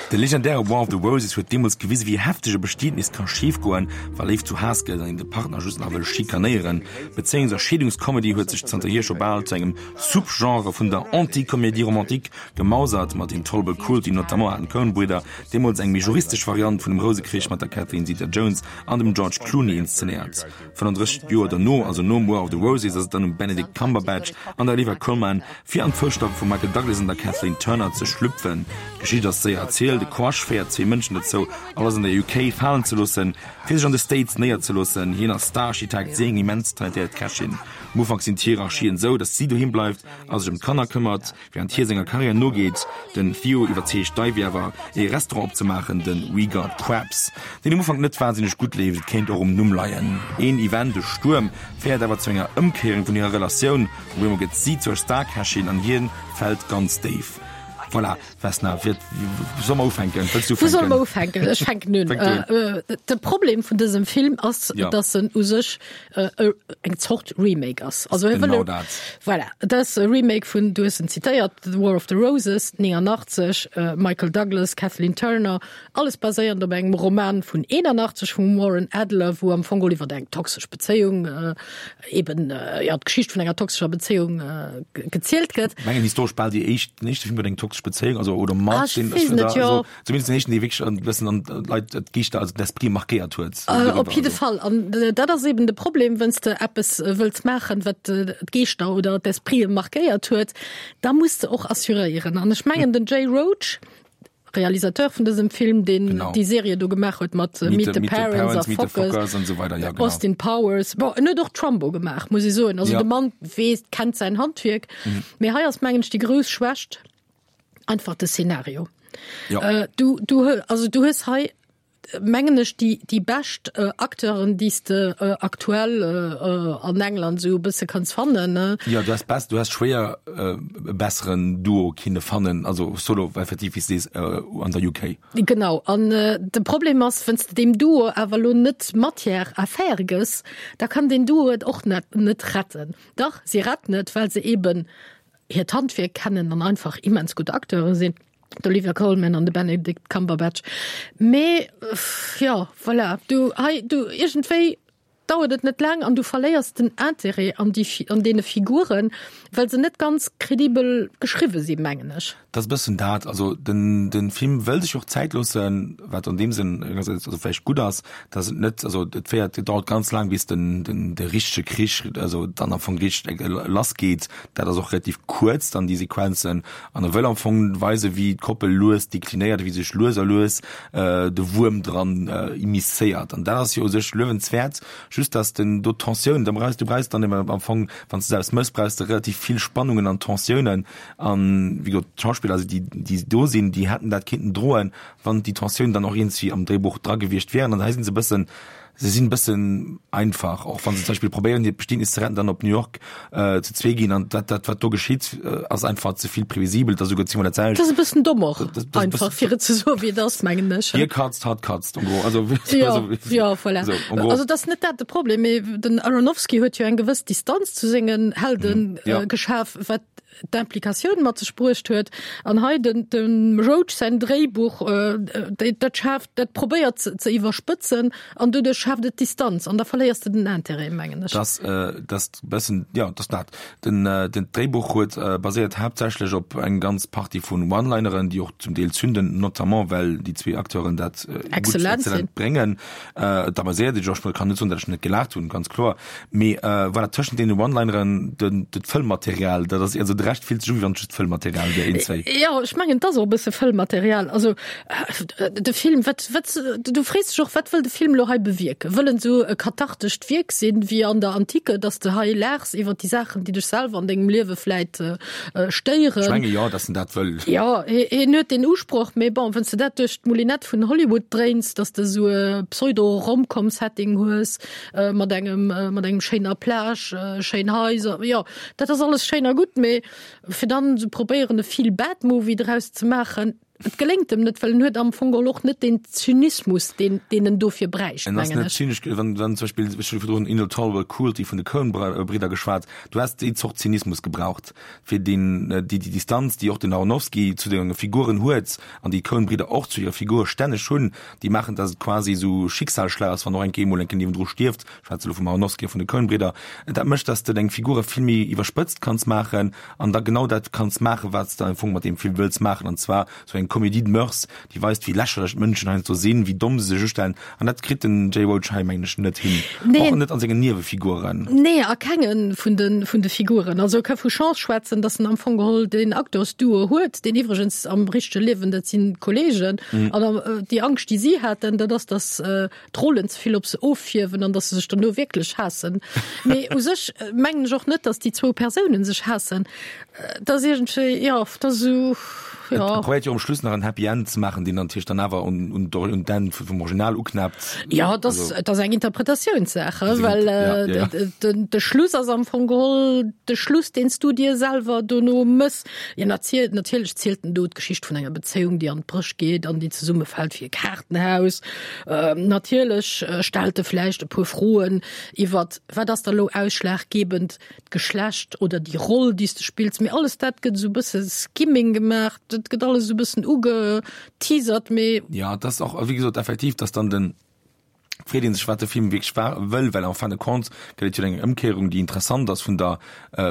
De legendäre War of the Roses huet deemools gewise wéi hefteg e Bestietnis ka schif goen, wa Léift zu Haass gëtt an een de Partner just nach wëll schikanéieren. D'Bezéiungs a Scheedungscomedy huet sech zanterhier scho bal zu engem Subgenre vun der Anti-Comédie romantique gemausert, mat Intolerable Cruelty notamment haten d'Coen-Bridder deemools eng méi juristesch Variant vun dem Rousekrich mat der Catherine Zeta-Jones an dem George Clooney inszenéiert. 35 Joer derno, also nom War of the Roses, ass et dann um Benedict Cumberbatch an der Olivia Colman, fir an d'Foussstappe vum Michael Douglas an der Kathleen Turner ze schlüpfen. D'Geschicht ass séier erzielt, E Crush féiert zwee Mënschen dozou, alles an der UK falen ze loossen, fir sech an de States néierzeloossen. Hien ass Star-Architekt, si eng immens talentéiert Kächin. Am Ufank sinn d'Hierarchien esou, datt si doheem bleift a sech ëm d'Kanner këmmert. Während hie senger Karriär nogeet, den Theo iwwerzeegt d'Ivy awer, ee Restaurant opzemaachen, de We Got Crabs, deen um Ufank net wahnsinneg gutt leeft, et kéint och um Numm leien. Een Event, e Stuerm, féiert awer zu enger Ëmkéierung vun hirer Relatioun, op eemol gëtt si zur Starkächin an hien fält ganz déif. Voilà, Vesna, wéi solle mer ufänken? Wëlls du Wou solle ufänken? mer ufänken? Ech fänken un. Fänk du un. De Problem vun dësem Film ass, Ja. dass en u sech eng Zort Remake ass. Also hie Genau wëll dat. Voilà, et ass e Remake vun, du hues en zitéiert, The War of the Roses, 89, Michael Douglas, Kathleen Turner, alles baséierend op engem Roman vun 81 vum Warren Adler, wou am Fong geholl iwwer eng toxesch Bezéiung, eben, jo, d'Geschicht vun enger toxescher Bezéiung gezielt gëtt. Mengen historesch bal déi éischt, den éischte Film iwwer eng toxesch Bezéiung, also oder mat Ah, ech den, weess net, jo. also Zumindest den éischten, dee wierklech e bëssen an d'Leit d'Geeschter, also d'Esprit markéiert huet. Äh, op jidde Fall. An äh, dat ass eben de Problem, wenn's de eppes äh, wëlls maachen, wat äh, d'Geeschter oder d'Esprite markéiert huet, da muss de och assuréieren. An ech mengen, den Jay Roach, Realisateur vun dësem Film, deen Genau. déi Serie do gemaach huet mat äh, Meet the, Parents a Meet the Fockers, Fockers an esou weider, ja, genau. Austin Powers. Bon, en huet och Trumbo gemaach, muss ech soen. Also Ja. de Mann weess, kennt säin Handwierk. Mee hei ass, mengen ech, déi grouss Schwächt, einfach de Szenario. Ja. Äh, du, du, also du hues hei mengen ech déi, déi bescht äh, Acteuren, déi s de äh, aktuell äh, äh, an England sou e bësse kanns fannen. Ne? Ja, du hast best, du hast schwéier äh, e besseren Duo kinne fannen, also solo effektiv wéi s sees äh, an der UK. Genau an äh, de Problem ass, wann s de deem Duo awer lo net Matière à faire gëss, da kann den Duo et och net, net retten. Dach, si retten et, well se eben hiert Handwierk kennen an einfach immens gutt Acteure sinn, d'Olivia Colman an de Benedict Cumberbatch. Mee jo, voilà, du hei, du iergendwéi dauert et net laang an du verléiers den Interêt an déi, an deene Figuren, well se net ganz kredibel geschriwwe sinn, mengen ech. Dat ass e bëssen dat. Also den, den Film wëll sech och Zäit loossen, wat an deem Sënn engersäits also vläicht gutt ass, dass et net, also et féiert, et dauert ganz laang bis den, den, de richtege Krich, also dann am Fong richteg lass geet. Dat ass och relativ kuerz dann déi Sequenzen an e wëll am Fong weisen, wéi d'Koppel lues deklinéiert, wéi sech lues a lues de Wuerm dran immiscéiert. An dat ass jo u sech luewenswäert, just dass den do d'Tensioun, da brauchs du brauchs dann ebe am Fong, wann s de se aus mëss, brauchs de relativ vill Spannungen an Tensiounen. An wéi gesot, d'Schauspiller, also déi déi do sinn, déi hätten dat kinnten droen, wann déi Tensiounen dann och iergendwéi am Dréibuch dra gewiescht wären. An hei sinn se e bëssen, Se sinn e bëssen einfach, och wann se zum Beispill probéieren hiert Bestietnis ze retten, dann op New York zu zwee ginn an dat dat wat do geschitt ass einfach ze vill previsibel, et ass esouguer zéngmol dat selwecht. Dat ass e bëssen domm och einfach, fir et ze soen, wéi et ass, mengen ech. Hie katzt, hatt katzt, en gros. Also, Jo, jo, voilà. Esou, en gros. Also et ass net dat de Problem, mee den Aronofsky huet jo eng gewëss Distanz zu sengen Helden geschaf, wat d'Implikatioun mat sech bruecht huet. An hei den, dem Roach säin Dréibuch, äh, dat schaaft, dat probéiert ze, ze iwwerspëtzen an doduerch schaaft et Distanz an da verléiers de den Intérêt, mengen ech. Das, äh, das bëssen, ja, das dat. Den, äh, den Dréibuch huet äh, baséiert haaptsächlech op eng ganz Partie vun One-Lineren, déi och zum Deel zünden, notamment well déi zwee Acteuren dat äh, gutt, Exzellent sinn. exzellent bréngen. Äh, da baséiert ech och, ech kann net soen, datt ech net gelaacht hunn, ganz kloer. Mee äh, voilà, tëschent deene One-Lineren, den, dat Fëllmaterial, dat ass, also. de Rescht fillt sech u wéi wann et just Fëllmaterial wier, een, zwéi. Jo, ech mengen, et ass och e bësse Fëllmaterial. Also de Film, wat, wat, du frees dech och, wat wëll de Film elo hei bewierken? Wëll en esou e kathartescht Wierk sinn, wéi an der Antike, datt s de hei laachs iwwer déi Saachen, déi dech selwer an dengem Liewe vläit stéieren? Ech menge jo, datt en dat wëll. Jo, hien huet deen Usproch, mee bon, wann s de dat duerch d'Moulinette vun Hollywood dréins, datt s de esou e Pseudo-Romcom-Setting hues, mat engem, mat engem schéiner Plage, schéin Haiser, jo, dat ass alles schéin a gutt, mee fir dann esou probéieren e Feel-Bad-Movie draus ze maachen, et geléngt em net, well en huet am Fong geholl och net deen Zynismus, deen, deen en dofir bräicht, En ass mengen net ech. zynesch, wann, wann zum Beispill, ech hu virdrun Intolerable Cruelty vun de Coen-Bridder geschwat, du häss déi Zort Zynismus gebraucht, fir deen, déi, déi Distanz, déi och den Aronofsky zu de Figuren huet an déi d'Coen-Bridder och zu hire Figure stänneg hunn, déi maachen, dass et quasi esou Schicksalsschlag ass, wann och eng Kéier emol enke niewendru stierft, ech schwätze elo vum Aronofsky a vun de Coen-Bridder, dat mécht, dass de deng Figure vill méi iwwerspëtzt kanns maachen an da genau dat kanns maachen, wat s de am Fong mat deem Film wëlls maachen, an zwar esou eng Comédie de mœurs, déi weist, wéi lächerlech d'Mënschen heiansdo sinn, wéi domm se sech ustellen, an dat kritt den Jay Roach hei, mengen ech, net hin, Nee. och net an sengen Niewefiguren. Nee, a kenge vun de, vun de Figuren. Also e ka vu Chance schwätzen, dass en am Fong geholl deen Acteursduo huet, deen iwwregens am richtege Liewen, dat si Kolleegen, an déi Angscht, déi si haten, dat ass, dass d'Rollen ze vill op se offierwen an dass se sech dono wierklech haassen. Mee u sech mengen ech och net, dass déi zwou Persounen sech haassen. Dat ass iergendwéi, jo, dat ass esou, jo. Et probéiert jo um Schluss nach en Happy End ze maachen, deen dann natierlech dann awer un, un d'Enn vum Original uknäppt. Jo, dat ass, dat ass eng Interpretatiounssaach, well de Schluss ass am Fong geholl de Schluss, deen s du dir selwer dono mëss. Jo, natierlech zielt en do d'Geschicht vun enger Bezéiung, déi an d'Bréch geet an déi zesummefält wéi e Kaartenhaus. Natierlech stellt e vläicht e puer Froen iwwert, wat ass da lo ausschlaggebend, d'Geschlecht oder déi Roll, déi s de spills. Mee alles dat gëtt esou e bësse Skimming gemaach, dat gëtt alles esou e bëssen ugeteasert, mee. Jo, et ass och, wéi gesot, effektiv, dass dann den freet een sech wat de Film wierklech war wëll, well en fin de compte gëtt et jo eng Ëmkéierung déi interessant ass vun der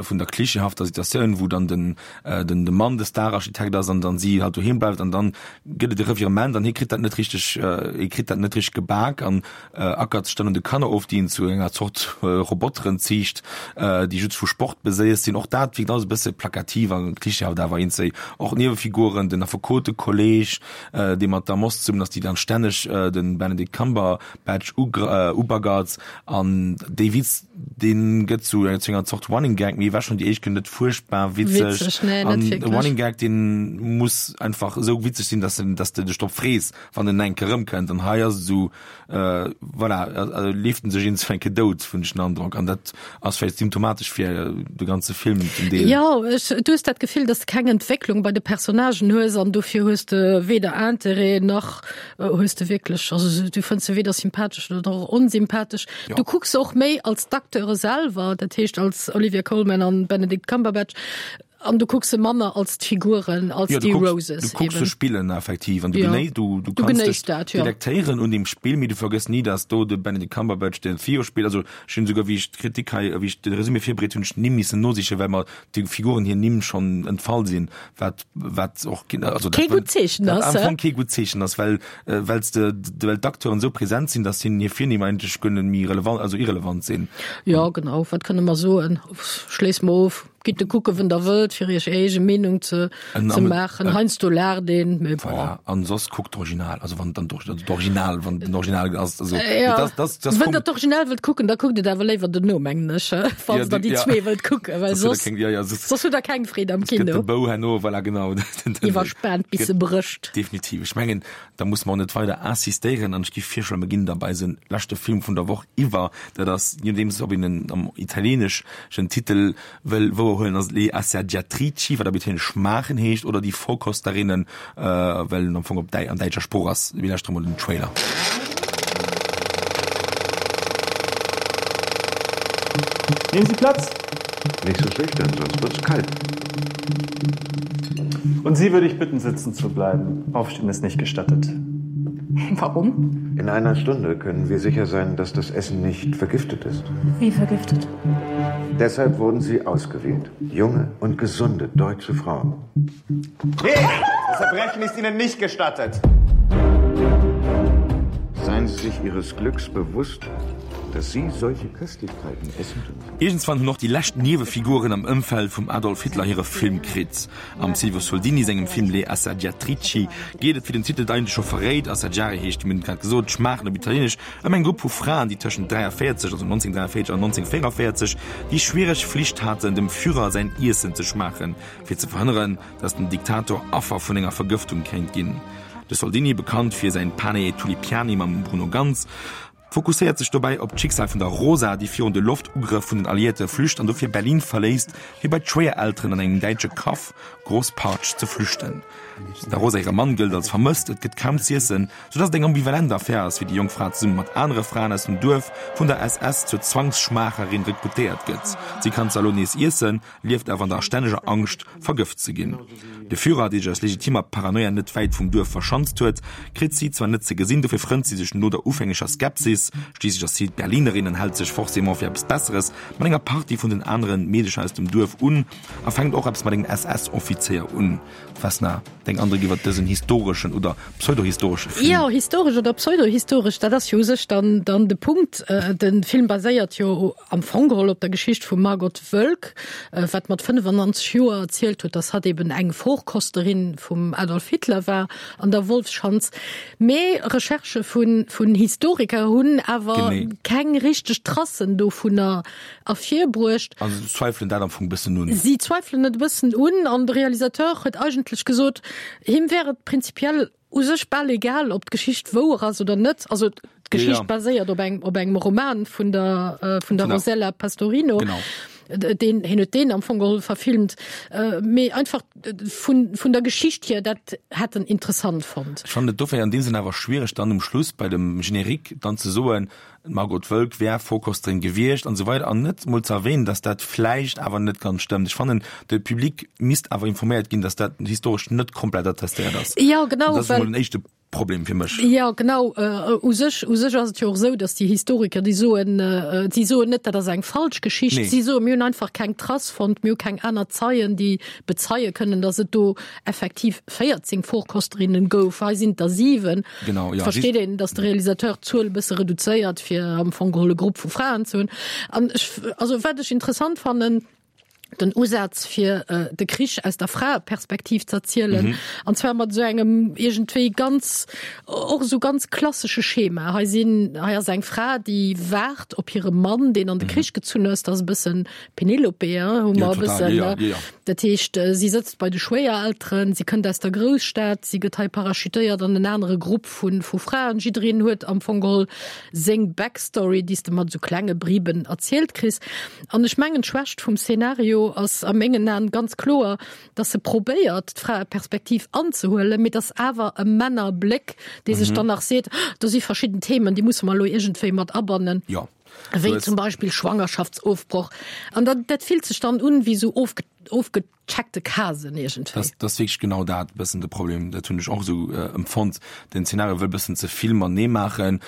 vun der klischeehafter Situatioun, wou dann den den de Mann de Stararchitekt ass an dann si halt doheem bleift an dann gëtt et e Revirement an hie kritt dat net richteg hie kritt dat net richteg gebak an ackert sech dann un de Kanner of, déi en zu enger Zort Roboteren ziicht, déi just vu Sport beséiert sinn. Och dat wierkt alles e bësse plakativ a klischeehaft awer eenzel och Niewefiguren, den Affekotekolleg, dee mat der Moss zesummen ass, déi dann stänneg de Benedict Cumberbatch ubaggert an dee Witz, dee gëtt zu enger Zort Running Gag, mee war schonn déi éischt Kéier net fuerchtbar witzeg. An e Running Gag, dee muss einfach esou witzeg sinn, dass dass de dech drop frees, wann en eng Kéier erëmkënnt. An hei ass et esou, voilà, leeft en sech iergendwou eng Kéier dout, hunn ech den Androck. An dat ass vläicht symptomatesch fir de ganze Film zum Deel. Jo, ech, du hues dat Gefill, dass de keng Entwécklung bei de Personnagen hues an dofir hues de weder Interêt nach hues de wierklech, also du fënns se weder sympathesch oder och onsympathesch. Jo. Du kucks se och méi als d'Acteure selwer, dat heescht als Olivia Colman an Benedict Cumberbatch, An du kucks se manner als d'Figuren, als Ja, du déi kucks, Roses du kucks se eben. spillen effektiv an du Ja. genéi, du, du Du kanns genéiss dech dat, ja. delektéieren un dem Spill, mee du vergëss ni, dass do de Benedict Cumberbatch den Theo spillt. Also ech hunn esouguer, wéi ech d'Kritik hei, wéi ech de Resumé virbereet hunn, ech d'Nimm missen nosichen, well mer déi Figuren hir Nimm schonn entfall sinn, wat, wat och ginn, also dat Kee gutt Zeechen dat ass, am hä? Fong kee gutt Zeechen ass, well, well s de, well d'Acteuren esou present sinn, dass hinnen hir Virnimm eigentlech guer net méi relevant, also irrelevant sinn. Jo, genau. Wat kënne mer soen? Schléisse mer of. Gitt e kucke wen der wëllt fir iech är eege Meenung ze ze maachen. Heiansdo laacht een, mee bon. Voilà, an soss kuckt d'Original, also wann dann d'Original, wann den Original ass, also Ja, das, das, das wenn der d'Original wëllt kucken, da kuckt et awer léiwer dono, mengen ech, falls der déi zwee wëllt kucken, well soss ja, ja, soss, soss hutt der keng Freed am gëtt de Kino. Bou herno, voilà, genau. Iwwerspaant bis se brécht. Definitiv. Ech mengen, da musse mer och net weider insistéieren an ech géif virschloen, mir ginn da bei eise leschte Film vun der Woch iwwer. Dat ass, je nodeems ob een en am italieeneschen Titel wëll wouerhuelen, ass et Le Assaggiatrici, wat op italieenesch schmaachen heescht, oder Die Vorkosterinnen, well en am Fong op däi an däitscher Sprooch ass. Mir lauschtere mol den Trailer. Nehmen Sie Platz. Nicht so schüchtern, sonst wird's kalt. Und Sie würde ich bitten, sitzen zu bleiben. Aufstehen ist nicht gestattet. Warum? In einer Stunde können wir sicher sein, dass das Essen nicht vergiftet ist. Wie vergiftet? Deshalb wurden sie ausgewählt. Junge und gesunde deutsche Frauen. Hey, das Erbrechen ist Ihnen nicht gestattet. Seien Sie sich Ihres Glücks bewusst, Dass Sie solche Köstlichkeiten essen dürfen. Iergendswann hunn och déi lescht Niewefiguren am Ëmfeld vum Adolf Hitler hire Film kritt. Am Silvio Soldini sengem Film Le Assaggiatrici geet et, wéi den Titel et eigentlech scho verréit, Assaggiare heescht, mir hunn et grad gesot, schmaachen op Italieenesch, ëm eng Grupp vu Fraen, déi tëschent 43, also 1943 an 1944, déi schwiereg Flicht haten, dem Führer säin Iessen ze schmaachen, fir ze verhënneren, datt den Diktator Affer vun enger Vergëftung kéint ginn. De Soldini, bekannt fir säin Pane e Tulipiani mam Bruno Ganz, fokusséiert sech dobäi op d'Schicksal vun der Rosa, déi virun de Loftugrëff vun den Alliéierte flücht an dofir Berlin verléisst, fir bei d'Schwéierelteren an engem däitsche Kaff, Großpartsch, ze flüchten. Der Rosa hire Mann gëllt als vermësst, et gëtt kaum z'iessen, soudatt et eng ambivalent Affär ass, wéi déi jonk Fra zesumme mat anere Fraen aus dem Duerf vun der SS zur Zwangsschmaacherin rekrutéiert gëtt. Si kann zwar elo nees iessen, lieft awer an der stänneger Angscht, vergëft ze ginn. De Führer, dee sech aus legitimer Paranoia net wäit vum Duerf verschanzt huet, kritt si zwar net ze gesinn, dofir frënnt si sech no der ufängeger Skepsis, schliisslech ass si d'Berlinerin an hält sech forcément fir eppes Besseres, mat enger Partie vun den aneren Meedecher aus dem Duerf un a fänkt och eppes mat engem SS-Offizéier un. Vesna, deng Andréck iwwer dësen historeschen oder pseudohistoresche Film? Jo, historesch oder pseudohistoresch, dat ass jo u sech dann dann de Punkt. De Film baséiert jo am Fong geholl op der Geschicht vum Margot Wölk, wat mat 95 Joer erzielt huet, dass hatt eben eng Vorkosterin vum Adolf Hitler war an der Wolfsschanz. Mee Recherchë vun vun Historiker hunn awer keng richteg Tracen dovunner ervirbruecht. Also se zweifelen dat am Fong e bëssen un. Si zweifelen et e bëssen un an de Realisateur huet eigentlech gesot, him wär et prinzipiell u sech bal egal, ob d'Geschicht wouer ass oder net. Also d'Geschicht ja. baséiert op engem, op engem Roman vun der, äh, vun der Rosella Pastorino. Genau. Den, hien huet deen am Fong geholl verfilmt. Äh, mee einfach äh, vun, vun der Geschicht hier, dat hätt en interessant fonnt. Ech fannen et dofir an deem Sënn awer schwiereg, dann um Schluss bei dem Générique dann ze soen, D'Margot Wölk wär Vorkosterin gewiescht an esou weider an net mol ze erwähnen, dass dat vläicht awer net ganz stëmmt. Ech fannen, de Public misst awer informéiert ginn, dass dat historesch net komplett attestéiert ass. Jo, genau, Dat ass well. emol en éischte Problem fir mech. Jo, genau. U sech, u sech ass et jo och esou, dass déi Historiker, déi soen, si soen net, dat ass eng falsch Geschicht. Nee. Si soen, mir hunn einfach keng Trace fonnt, mir hu keng aner Zeien, déi bezeie kënnen, dass et do effektiv 14 Vorkosterinnen gouf. Hei sinn et der 7. Genau, ja. Versteet een, dass de Realisateur d'Zuel e bësse reduzéiert, fir am Fong geholl e Grupp vu Fraen ze hunn. An ech, also wat ech interessant fannen, den Usaz fir äh, de Krich aus der Fraeperspektiv ze erzielen, mhm. an zwar mat esou engem iergendwéi ganz och esou ganz klassesche Schema. Hei sinn, hei ass eng Fra, déi waart op hire Mann, deen an de mhm. Krich gezunn ass, dat ass e bëssen Penelope, hu mer e bëssen. Ja, ja, ja. Dat heescht, äh, si sëtzt bei de Schwéierelteren, si kënnt aus der Grousstad, si gëtt hei parachutéiert an en anere Grupp vun, vu Fraen. Jiddereen huet am Fong geholl seng Backstory, déi s de mat esou klenge Briben erzielt kriss. An ech mengen, d'Schwächt vum Szenario ass a mengen Aen ganz kloer, dass e probéiert, d'Fraeperspektiv anzehuelen, mee dass awer e Männerbléck, dee sech dann nach seet, do si verschidden Themen, déi musse mer elo iergendwéi mat abannen. Jo. Wéi zum Beispill Schwangerschaftsofbroch. An dat, dat fillt sech dann un wéi esou ofge, ofgecheckte Casen iergendwéi. Dat, dat ass wierklech genau dat e bëssen de Problem. Dat hunn ech och esou empfonnt. Den Zeenario wëll bëssen ze vill matenee maachen.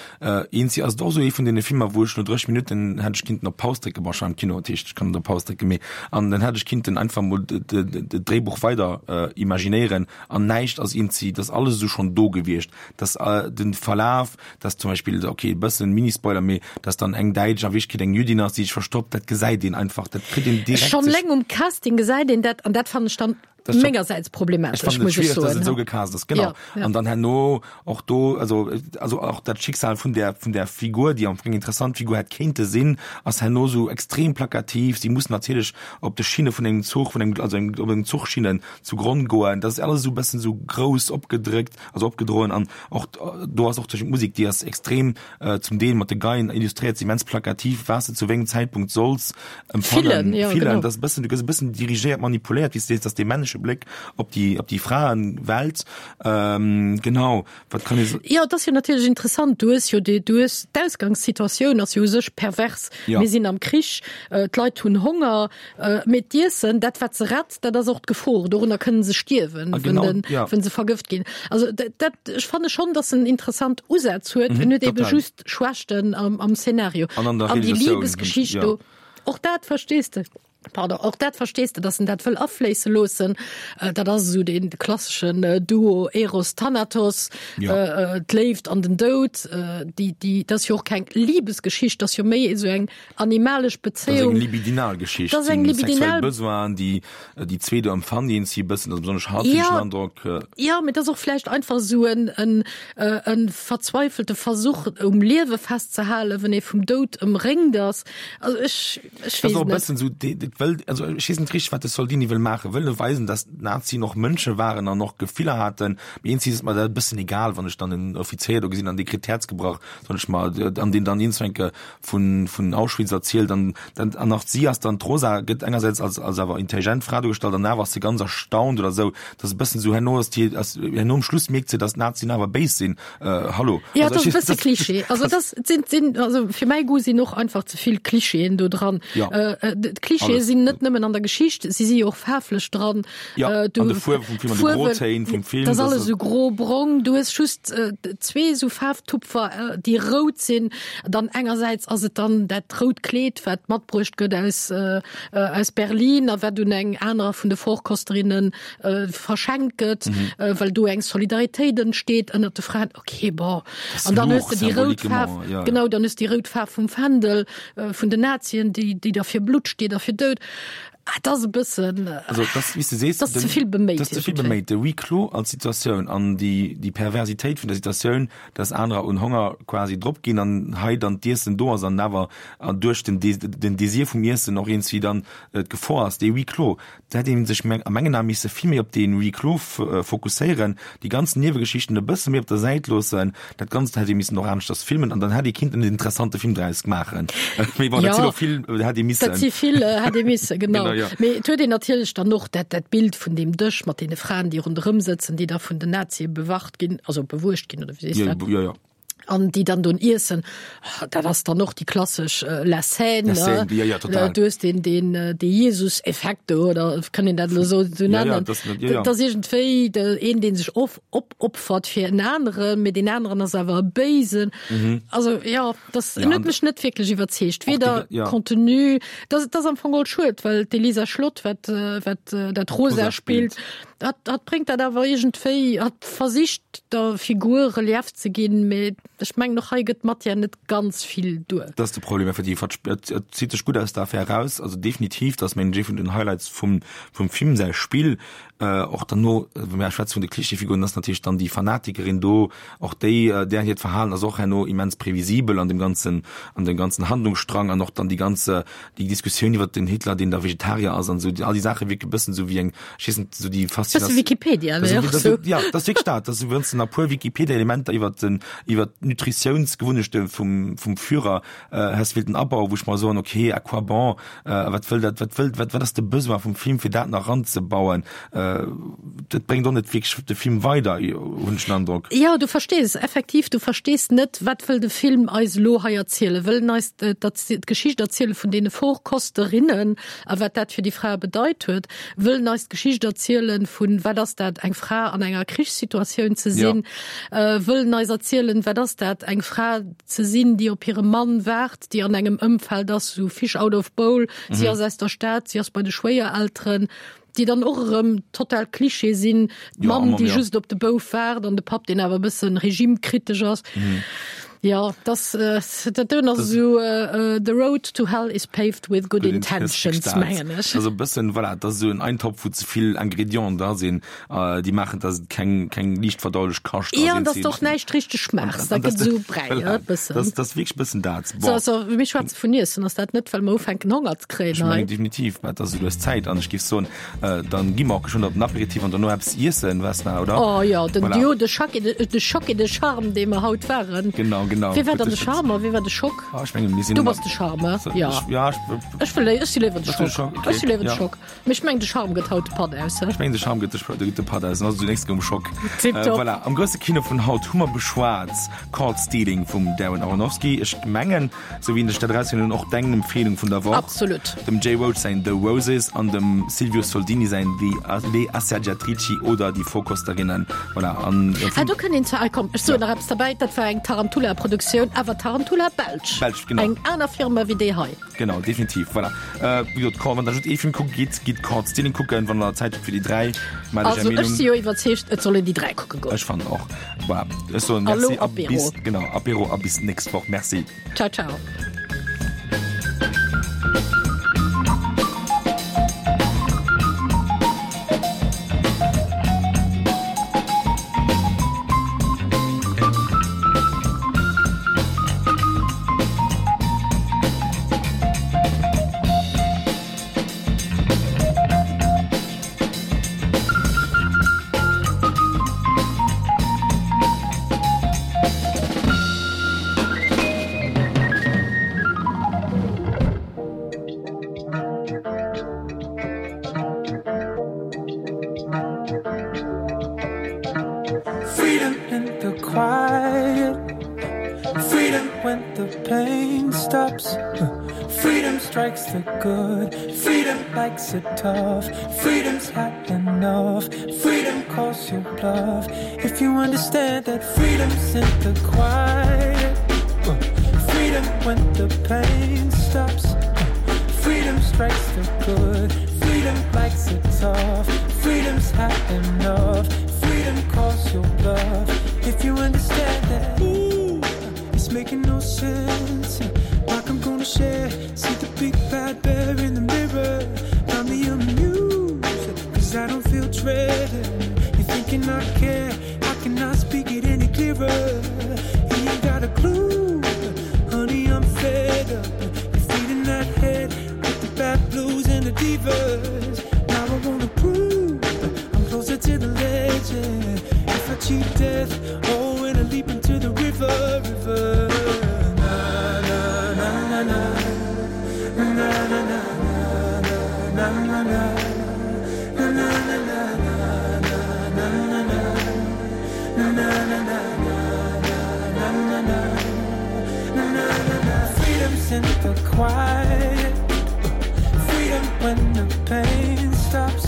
Eenzi ass et och esou ee vun deene Filmer, wou ech no 30 Minutten hätt ech kinnten op Paus drécken. Bon, ech war am Kino, dat heescht, ech kann net op Paus drécken, mee an dann hätt ech kinnten einfach mol de, de, de Dréibuch weider imaginéieren an näischt ass eenzi, dat ass alles esou schonn do gewiescht. Dass den Verlaf, dass zum Beispill, ok e bëssen Mini-Spoiler, mee dass dann eng Däitsch a Wierklechkeet eng Jüddin ass, déi sech verstoppt, dat gesäit een einfach, dat kritt een direkt. Schonn leng um Casting gesäit een dat an dat fannen ech dann mengersäits problematesch, muss ech soen. Ech fannen et schwiereg, dass et esou gecast ass, genau. An dann herno och do, also also och dat Schicksal vun där vun där Figur, déi am Fong eng interessant Figur hätt kéinte sinn, ass herno esou extrem plakativ. Si muss natierlech op de Schinne vun engem Zuch, vun engem, also op engem Zuchschinnen zu Gronn goen. Dat ass alles esou e bëssen esou grouss opgedréckt. also opgedroen an och do ass och tëschent d'Musek, déi ass extrem äh, zum Deel mat de Geien illustréiert, immens plakativ, was du zu wéngem Zäitpunkt solls empfannen, fillen, ja, fillen, genau. das bëssen, du gëss e bëssen dirigéiert, manipuléiert, wéi s du sees, dass dee männleche Bléck op déi, op déi Fraenwelt, ähm, genau, wat kann ee so. Jo, et ass jo natierlech interessant, du hues jo déi, du hues d'Ausgangssituatioun ass jo u sech pervers. Ja. Mir sinn am Krich, äh, d'Leit hunn Honger, äh, mee d'Iessen, dat wat se rett, dat ass och d'Gefor, dorunner kënnen se stierwen, ah, genau, wenn, den, ja. wenn se vergëft ginn. Also dat, dat, ech fanne schon, dass en interessant Usaz huet, mhm, en huet ebe total. just Schwächten am, am Szenario. An an der An déi Realisatioun, Liebesgeschicht ja. do, och dat verstees de. Pardon, och dat verstees de, dass en dat wëll afléisse loossen. Dat ass esou dee klasseschen Duo Eros-Thanatos, ja. d'Léift an den Doud. Déi, déi, dat ass jo och keng Libesgeschicht, dat ass jo méi esou eng animalesch Bezéiung. Dat ass eng libidinal Geschicht. Dat ass eng libidinal. Sexuell Besoinen, déi déi zwee do empfannen, déi si e bëssen, also besonnesch hatt, hunn ech den Androck. Ja, mee dat ass och vläicht einfach esou en, en, e verzweifelte Versuch, um Liewe festzehalen, wenn ee vum Doud ëmréngt ass. Also ech. Ech weess net. Bëssen sou, dat wëll, also ech weess net richteg, wat de Soldini wëll maachen. Wëll e weisen, dass d'Nazien och Mënsche waren an och Gefiller haten? Mee eenzi ass et mer dat e bëssen egal, wann ech dann en Offizéier do gesinn an dee kritt d'Häerz gebrach, soen ech mer, an deen dann iergendwann vun, vun Auschwitz erzielt an dann, an och si ass dann, d'Rosa gëtt engersäits als, als awer intelligent Fra duergestallt an awer ass se ganz erstaunt oder sou. Dat ass e bëssen sou, herno ass déi, ass, herno um Schluss mierkt se, dass d'Nazien awer béis sinn. Äh, hallo. Ja, das ist e bësse Klischee. Also das sind, sind, also fir mäi Goût sinn och einfach ze vill Klischeeën do dran. Ja. Äh, äh, Klischeeë sinn net nëmmen an der Geschicht, si si jo och faarflech dran. Ja, äh, du, an de Fuerwe vum Film, an de Grotéin vum Film. Das alles esou gro, brong. Du hues just äh, zwee esou Faarftupfer, äh, déi rout sinn. Dann engersäits ass et dann dat rout Kleed, wat matbruecht gëtt aus, äh, äh, aus Berlin a wat un eng anerer vun de Vorkosterinnen verschenkt gëtt, well do eng Solidaritéit entsteet ënnert de Fraen. Okay, bon. An dann hues de déi rout Faarf, genau, dann hues de déi rout Faarf vum Fändel vun den Nazien, déi, déi da fir Blutt steet a fir Doud. Ah, dat ass e bëssen, Also, das, wéi s de sees, dat ass ze vill beméit. Dat ass ze vill beméit. De Huis clos als Situatioun an déi, déi Perversitéit vun der Situatioun, dass anerer un Honger quasi drop ginn an hei dann d'Iessen do ass an awer duerch den, den Désir vum Iessen och iergendwéi dann d'Gefor ass, dee Huis clos, Da hätt ee sech a mengen Ae misse vill méi op dee Huis clos fokusséieren, déi ganz Niewegeschichten e bësse méi op der Säit loossen. Dat Ganzt hätt ee missen och aneschters filmen an dann hätt ee kinnten en interessante Film draus maachen. Mee bon, dat sinn och vill hätt ee missen. Dat si vill hätt ee missen, genau. Mee et huet een natierlech dann och dat dat Bild vun deem Dësch mat deene Fraen, déi ronderëm sëtzen, déi da vun den Nazie bewacht ginn, also bewuecht ginn, oder wéi sees dat? Jo, jo. An déi dann don iessen, dat ass dann och déi klassesch La Scène, La Scène, ja, ja, total. Du hues den, den, de Jesus-Effekt do, oder kann een dat elo esou ja, nennen? Ja, das, ja, ja. Dat ass iergendwéi de, een, dee sech of, opopfert fir en aneren, mee deen aneren ass awer e Béisen. Mhm. Also, ja, das ja, huet mech net wierklech iwwerzeegt. Weder die, ja. Contenu, dat, dat ass am Fong all schued, well d'Elisa Schlott, wat, wat dat Rosa, Rosa spillt, dat, dat bréngt dat awer iergendwéi, hat versicht, der Figur Relief ze ginn, mee ech mengen och hei gëtt d'Matière net ganz vill duer. Dat ass de Problem effektiv. Hat et et zitt sech gutt aus der Affär eraus. Also definitiv, dat ass mengen ech ee vun den Highlights vum vum Film säi Spill. Och derno, wa mir schwätze vun de Klischeefiguren, ass natierlech dann déi Fanatikerin do, och déi, där hiert Verhalen ass och herno immens previsibel an dem ganzen an dem ganzen Handlungsstrang an och dann déi ganz déi Diskussioun iwwert den Hitler, deen da Vegetarier ass an esou, all déi Saache wierke bëssen esou wéi eng, ech weess net, esou déi Faszinatioun. Bësse Wikipedia, ne? Och esou. Ja, dat ass wierklech dat, dass du wëlls nach e puer Wikipedia-Elementer iwwert den, iwwert d'Nutritiounsgewunnechte vum, vum Führer häss wéilten abauen, wou ech mer soen, okay, à quoi bon, wat wëll dat, wat wëll, wat, wat ass de Besoin vum Film, fir dat nach eranzebauen? Dat bréngt och net wierklech de Film weider, hunn ech den Androck. Jo, du verstees effektiv, du verstees net, wat wëll de Film eis elo hei erzielen? Wëll en eis d'Geschicht erziele vun deene Vorkosterinnen a wat dat fir déi Frae bedeit huet? Wëll en eis d'Geschicht erzielen vun, wat ass dat, eng Fra an enger Krichssituatioun ze sinn? Wëll en eis erzielen, wat ass dat, eng Fra ze sinn, déi op hire Mann waart, déi an engem Ëmfeld ass, sou Fish out of bowl, si ass aus der Stad, si ass bei de Schwéierelteren, déi dann och erëm total Klischee sinn, d'Mamm, déi just op de Bouf waart an de Papp, deen awer e bëssen regimekritesch ass. Jo, dass, dat doen ass esou The road to hell is paved with good intentions, mengen ech. Also e bëssen, voilà, dat ass esou en Eintopf, wou ze vill Ingredienten dra sinn. Äh, déi maachen, dass et keng, keng liicht verdaulech Kascht ass. Ja, an dass de och näischt richteg schmaachs. Dat gëtt esou Bräi, e bëssen. Dat ass wierklech e bëssen dat. Bon. So, also, mir schwätze vun Iessen. Ass dat net, well mer ufänken Honger ze kréien Ech mengen definitiv, mä et ass esou lues Zäit an ech géif soen, äh, dann gi mer och geschwënn op den Aperitif an dono eppes iessen, Vesna, oder? Oh jo, den Voilà. Duo de Choc et de, de Choc et de Charme, dee mer haut waren. Genau, genau. Wie war dann de Charme a wie war de Schock? Ah, ech mengen, mir sinn Du ëmmer- bass de Charme, ja. Ech, ja, ech, Ech wëll, ech si léiwer de Bass du de Schock. Schock? Okay. Ech si léiwer de Ja. Schock. Mee ech mengen de Charme gëtt haut de Patt aus, he? Ech mengen de Charme gëtt de, de Patt aus, an also zunächst goum Schock. Tipptopp. Voilà, am grousse Kino vun haut hu mer beschwat Caught Stealing vum Darren Aronofsky. Ech mengen, sou wéi ech dat erausginn hunn, och deng Empfehlung vun der Woch. Absolut. Dem Jay Roach säin The Roses an dem Silvio Soldini säin The Le Assaggiatrici oder Die Vorkosterinnen. Voilà, an Ah, do kënnt een zwar, ah komm, ech soen nach eppes derbäi, dat war eng Tarantula. Produktioun, Avatar an Tula, Belsch. Belsch, genau. Eng aner Firma wéi déi hei. Genau, definitiv, voilà. Wéi gesot, wann der just ee Film kucke gitt, gitt Caught Stealing kucken, wann der Zäit hutt fir déi 3, maacht iech är Meenung. Also ech si jo iwwerzeegt, et soll een déi 3 kucke goen. Ech fannen och. Voilà, ech soen Merci a bis, genau, Apéro a bis nächst Woch. Merci. Ciao, ciao. Freedom in the quiet Freedom when the pain stops Freedom strikes the good Freedom likes it tough Freedom's had enough Freedom calls your bluff If you understand that freedom's in the quiet Freedom when the pain stops Freedom strikes the good Freedom likes it tough Freedom's had enough Freedom calls your bluff If you understand that ooh, It's making no sense Like I'm gonna share See the big bad bear in the mirror Find me amused Cause I don't feel dreaded You're thinking I care I cannot speak it any clearer You ain't got a clue Honey, I'm fed up You're feeding that head With the bad blues and the divas Now I wanna prove I'm closer to the legend If I cheat death Oh, and I leap into the river, river Na, na, na, na, na Na, na, na, na, na, na, na, na Na, na, na, na, na, na, na, na Na, na, na, na, na, na, na, na Na, na, na, Freedom's in the quiet Freedom when the pain stops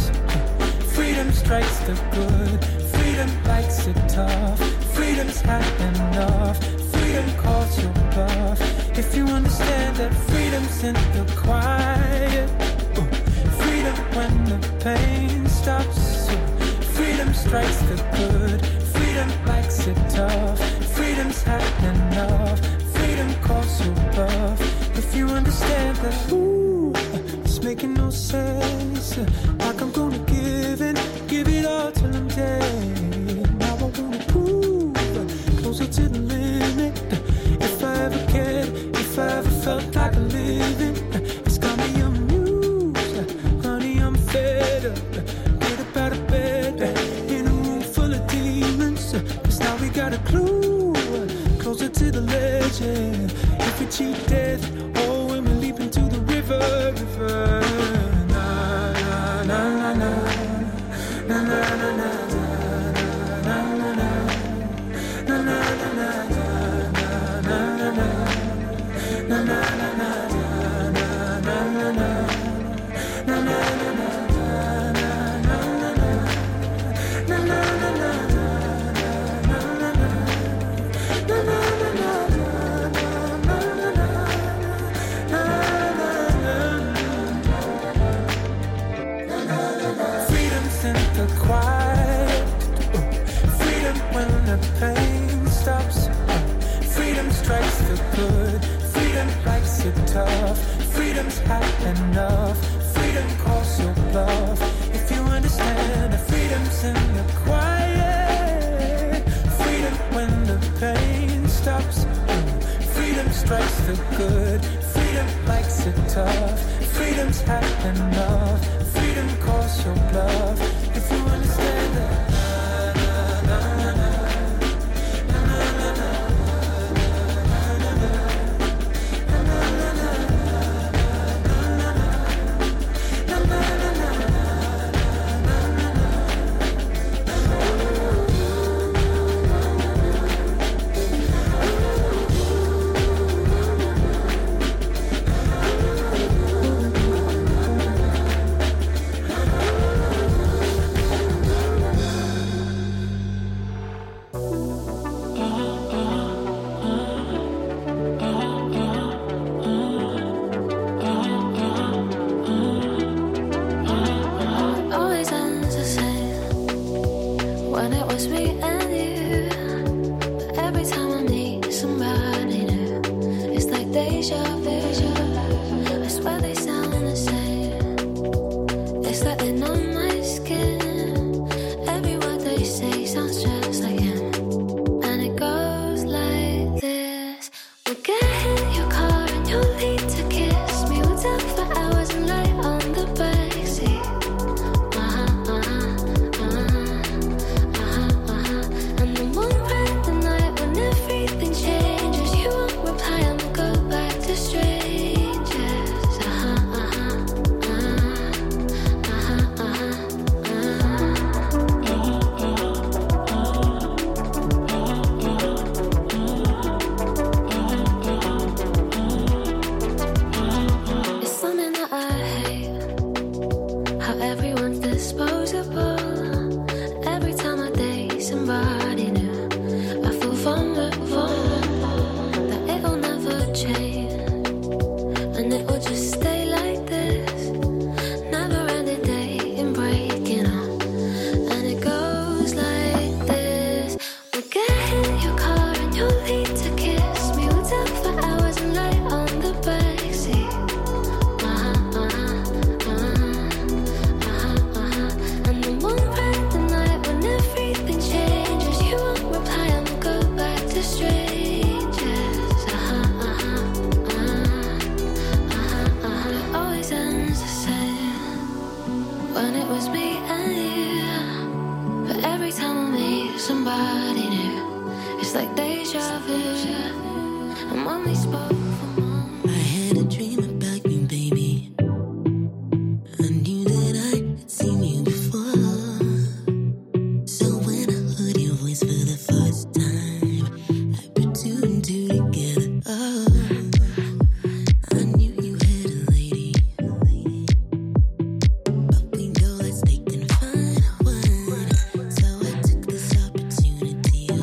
Freedom strikes the good Freedom likes it tough Freedom's had enough Freedom calls your bluff If you understand that freedom's in the quiet Freedom when the pain stops Freedom strikes the good Freedom likes it tough Freedom's had enough Freedom calls your bluff If you understand that Ooh, it's making no sense Like I'm gonna give in Give it all till I'm dead Now I wanna prove Closer to the limit If I ever cared If I ever felt like living It's got me amused Honey, I'm fed up Get up out of bed In a room full of demons Cause now we got a clue Closer to the legend If we cheat death Oh, when we leap into the river, river Na, na, na, na, na Na, na, na, na, na, na, na, na Na, na, na, na, na, na, na, na Na, na, na, na, na, na, na, na Na, na, na, na, na, na, na, na Na, na, na, na, na, na, na, na Na, na, na, na, na, na, na, na Na, na, na Freedom's in the quiet Freedom when the pain stops Freedom strikes the good Freedom likes it tough Freedom's had enough Freedom calls your bluff If you understand that freedom's in the quiet Freedom when the pain stops Freedom strikes the good Freedom likes it tough Freedom's had enough Freedom calls your bluff If you understand that na, na, na, na, na, na, na, na, na, na, na, na, na, na, na, na, na. sounds just like him. And it goes like this. We'll get in your car and you'll need to kiss me. We'll talk for hours and lie on the backseat. Uh-huh, uh-huh, uh-huh, uh-huh, uh-huh. And then one random night when everything changes, you won't reply and we'll go back to strangers. Uh-huh, uh-huh, uh-huh, uh-huh, uh-huh. It's something that I hate. How everyone's disposable. Every time I date somebody new, I feel vulnerable. That it'll never change, and it will just stay like this. Never ending day and breaking up, and it goes like this. We'll get in your car and you'll need to kiss me. We'll talk for hours and lie on the backseat. Uh-huh, uh-huh, uh-huh, uh-huh, uh-huh. And then one random night when everything changes, you won't reply and we'll go back to strangers. Uh-huh, uh-huh, uh-huh, uh-huh, uh-huh. It always ends the same when it was me and you. But every time I meet somebody new, it's like deja vu. And when we spoke for months, I had a dream about you, baby. I knew that I had seen you before. So when I heard your voice for the first time, I put two and two together. Oh, I knew you had a lady. But we go, let's take and find one. So I took this opportunity oh,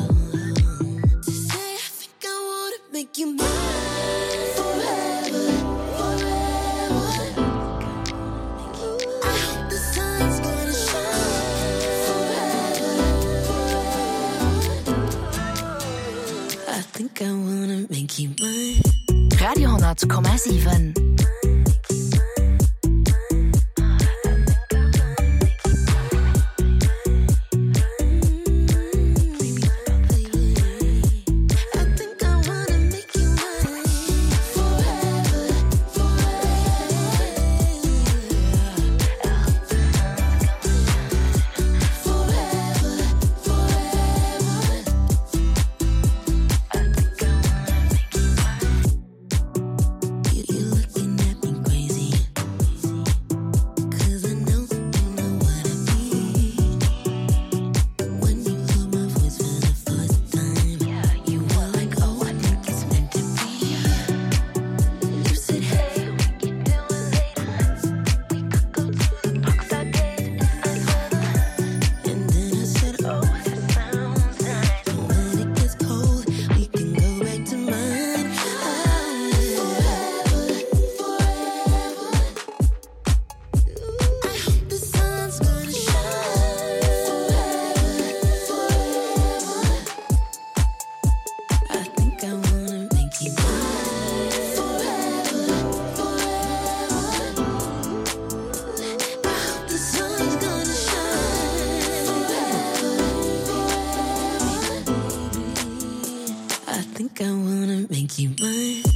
to say I think I wanna make you mine forever, forever. I hope the sun's gonna shine forever, forever. I think I wanna make you mine. Radio 10,7. You're looking at me crazy. Cause I know you know what I mean. When you heard my voice for the first time, you were like, oh, I think it's meant to be. You said, hey, what you doing later? We could go to the park, start dancing in nice weather. And then I said, oh, that sounds nice. But when it gets cold, we can go back to mine. Forever, forever. I hope the sun's gonna shine forever, forever. I think I wanna make you mine forever, forever. I hope the sun's gonna shine forever, forever. I think I wanna make you mine.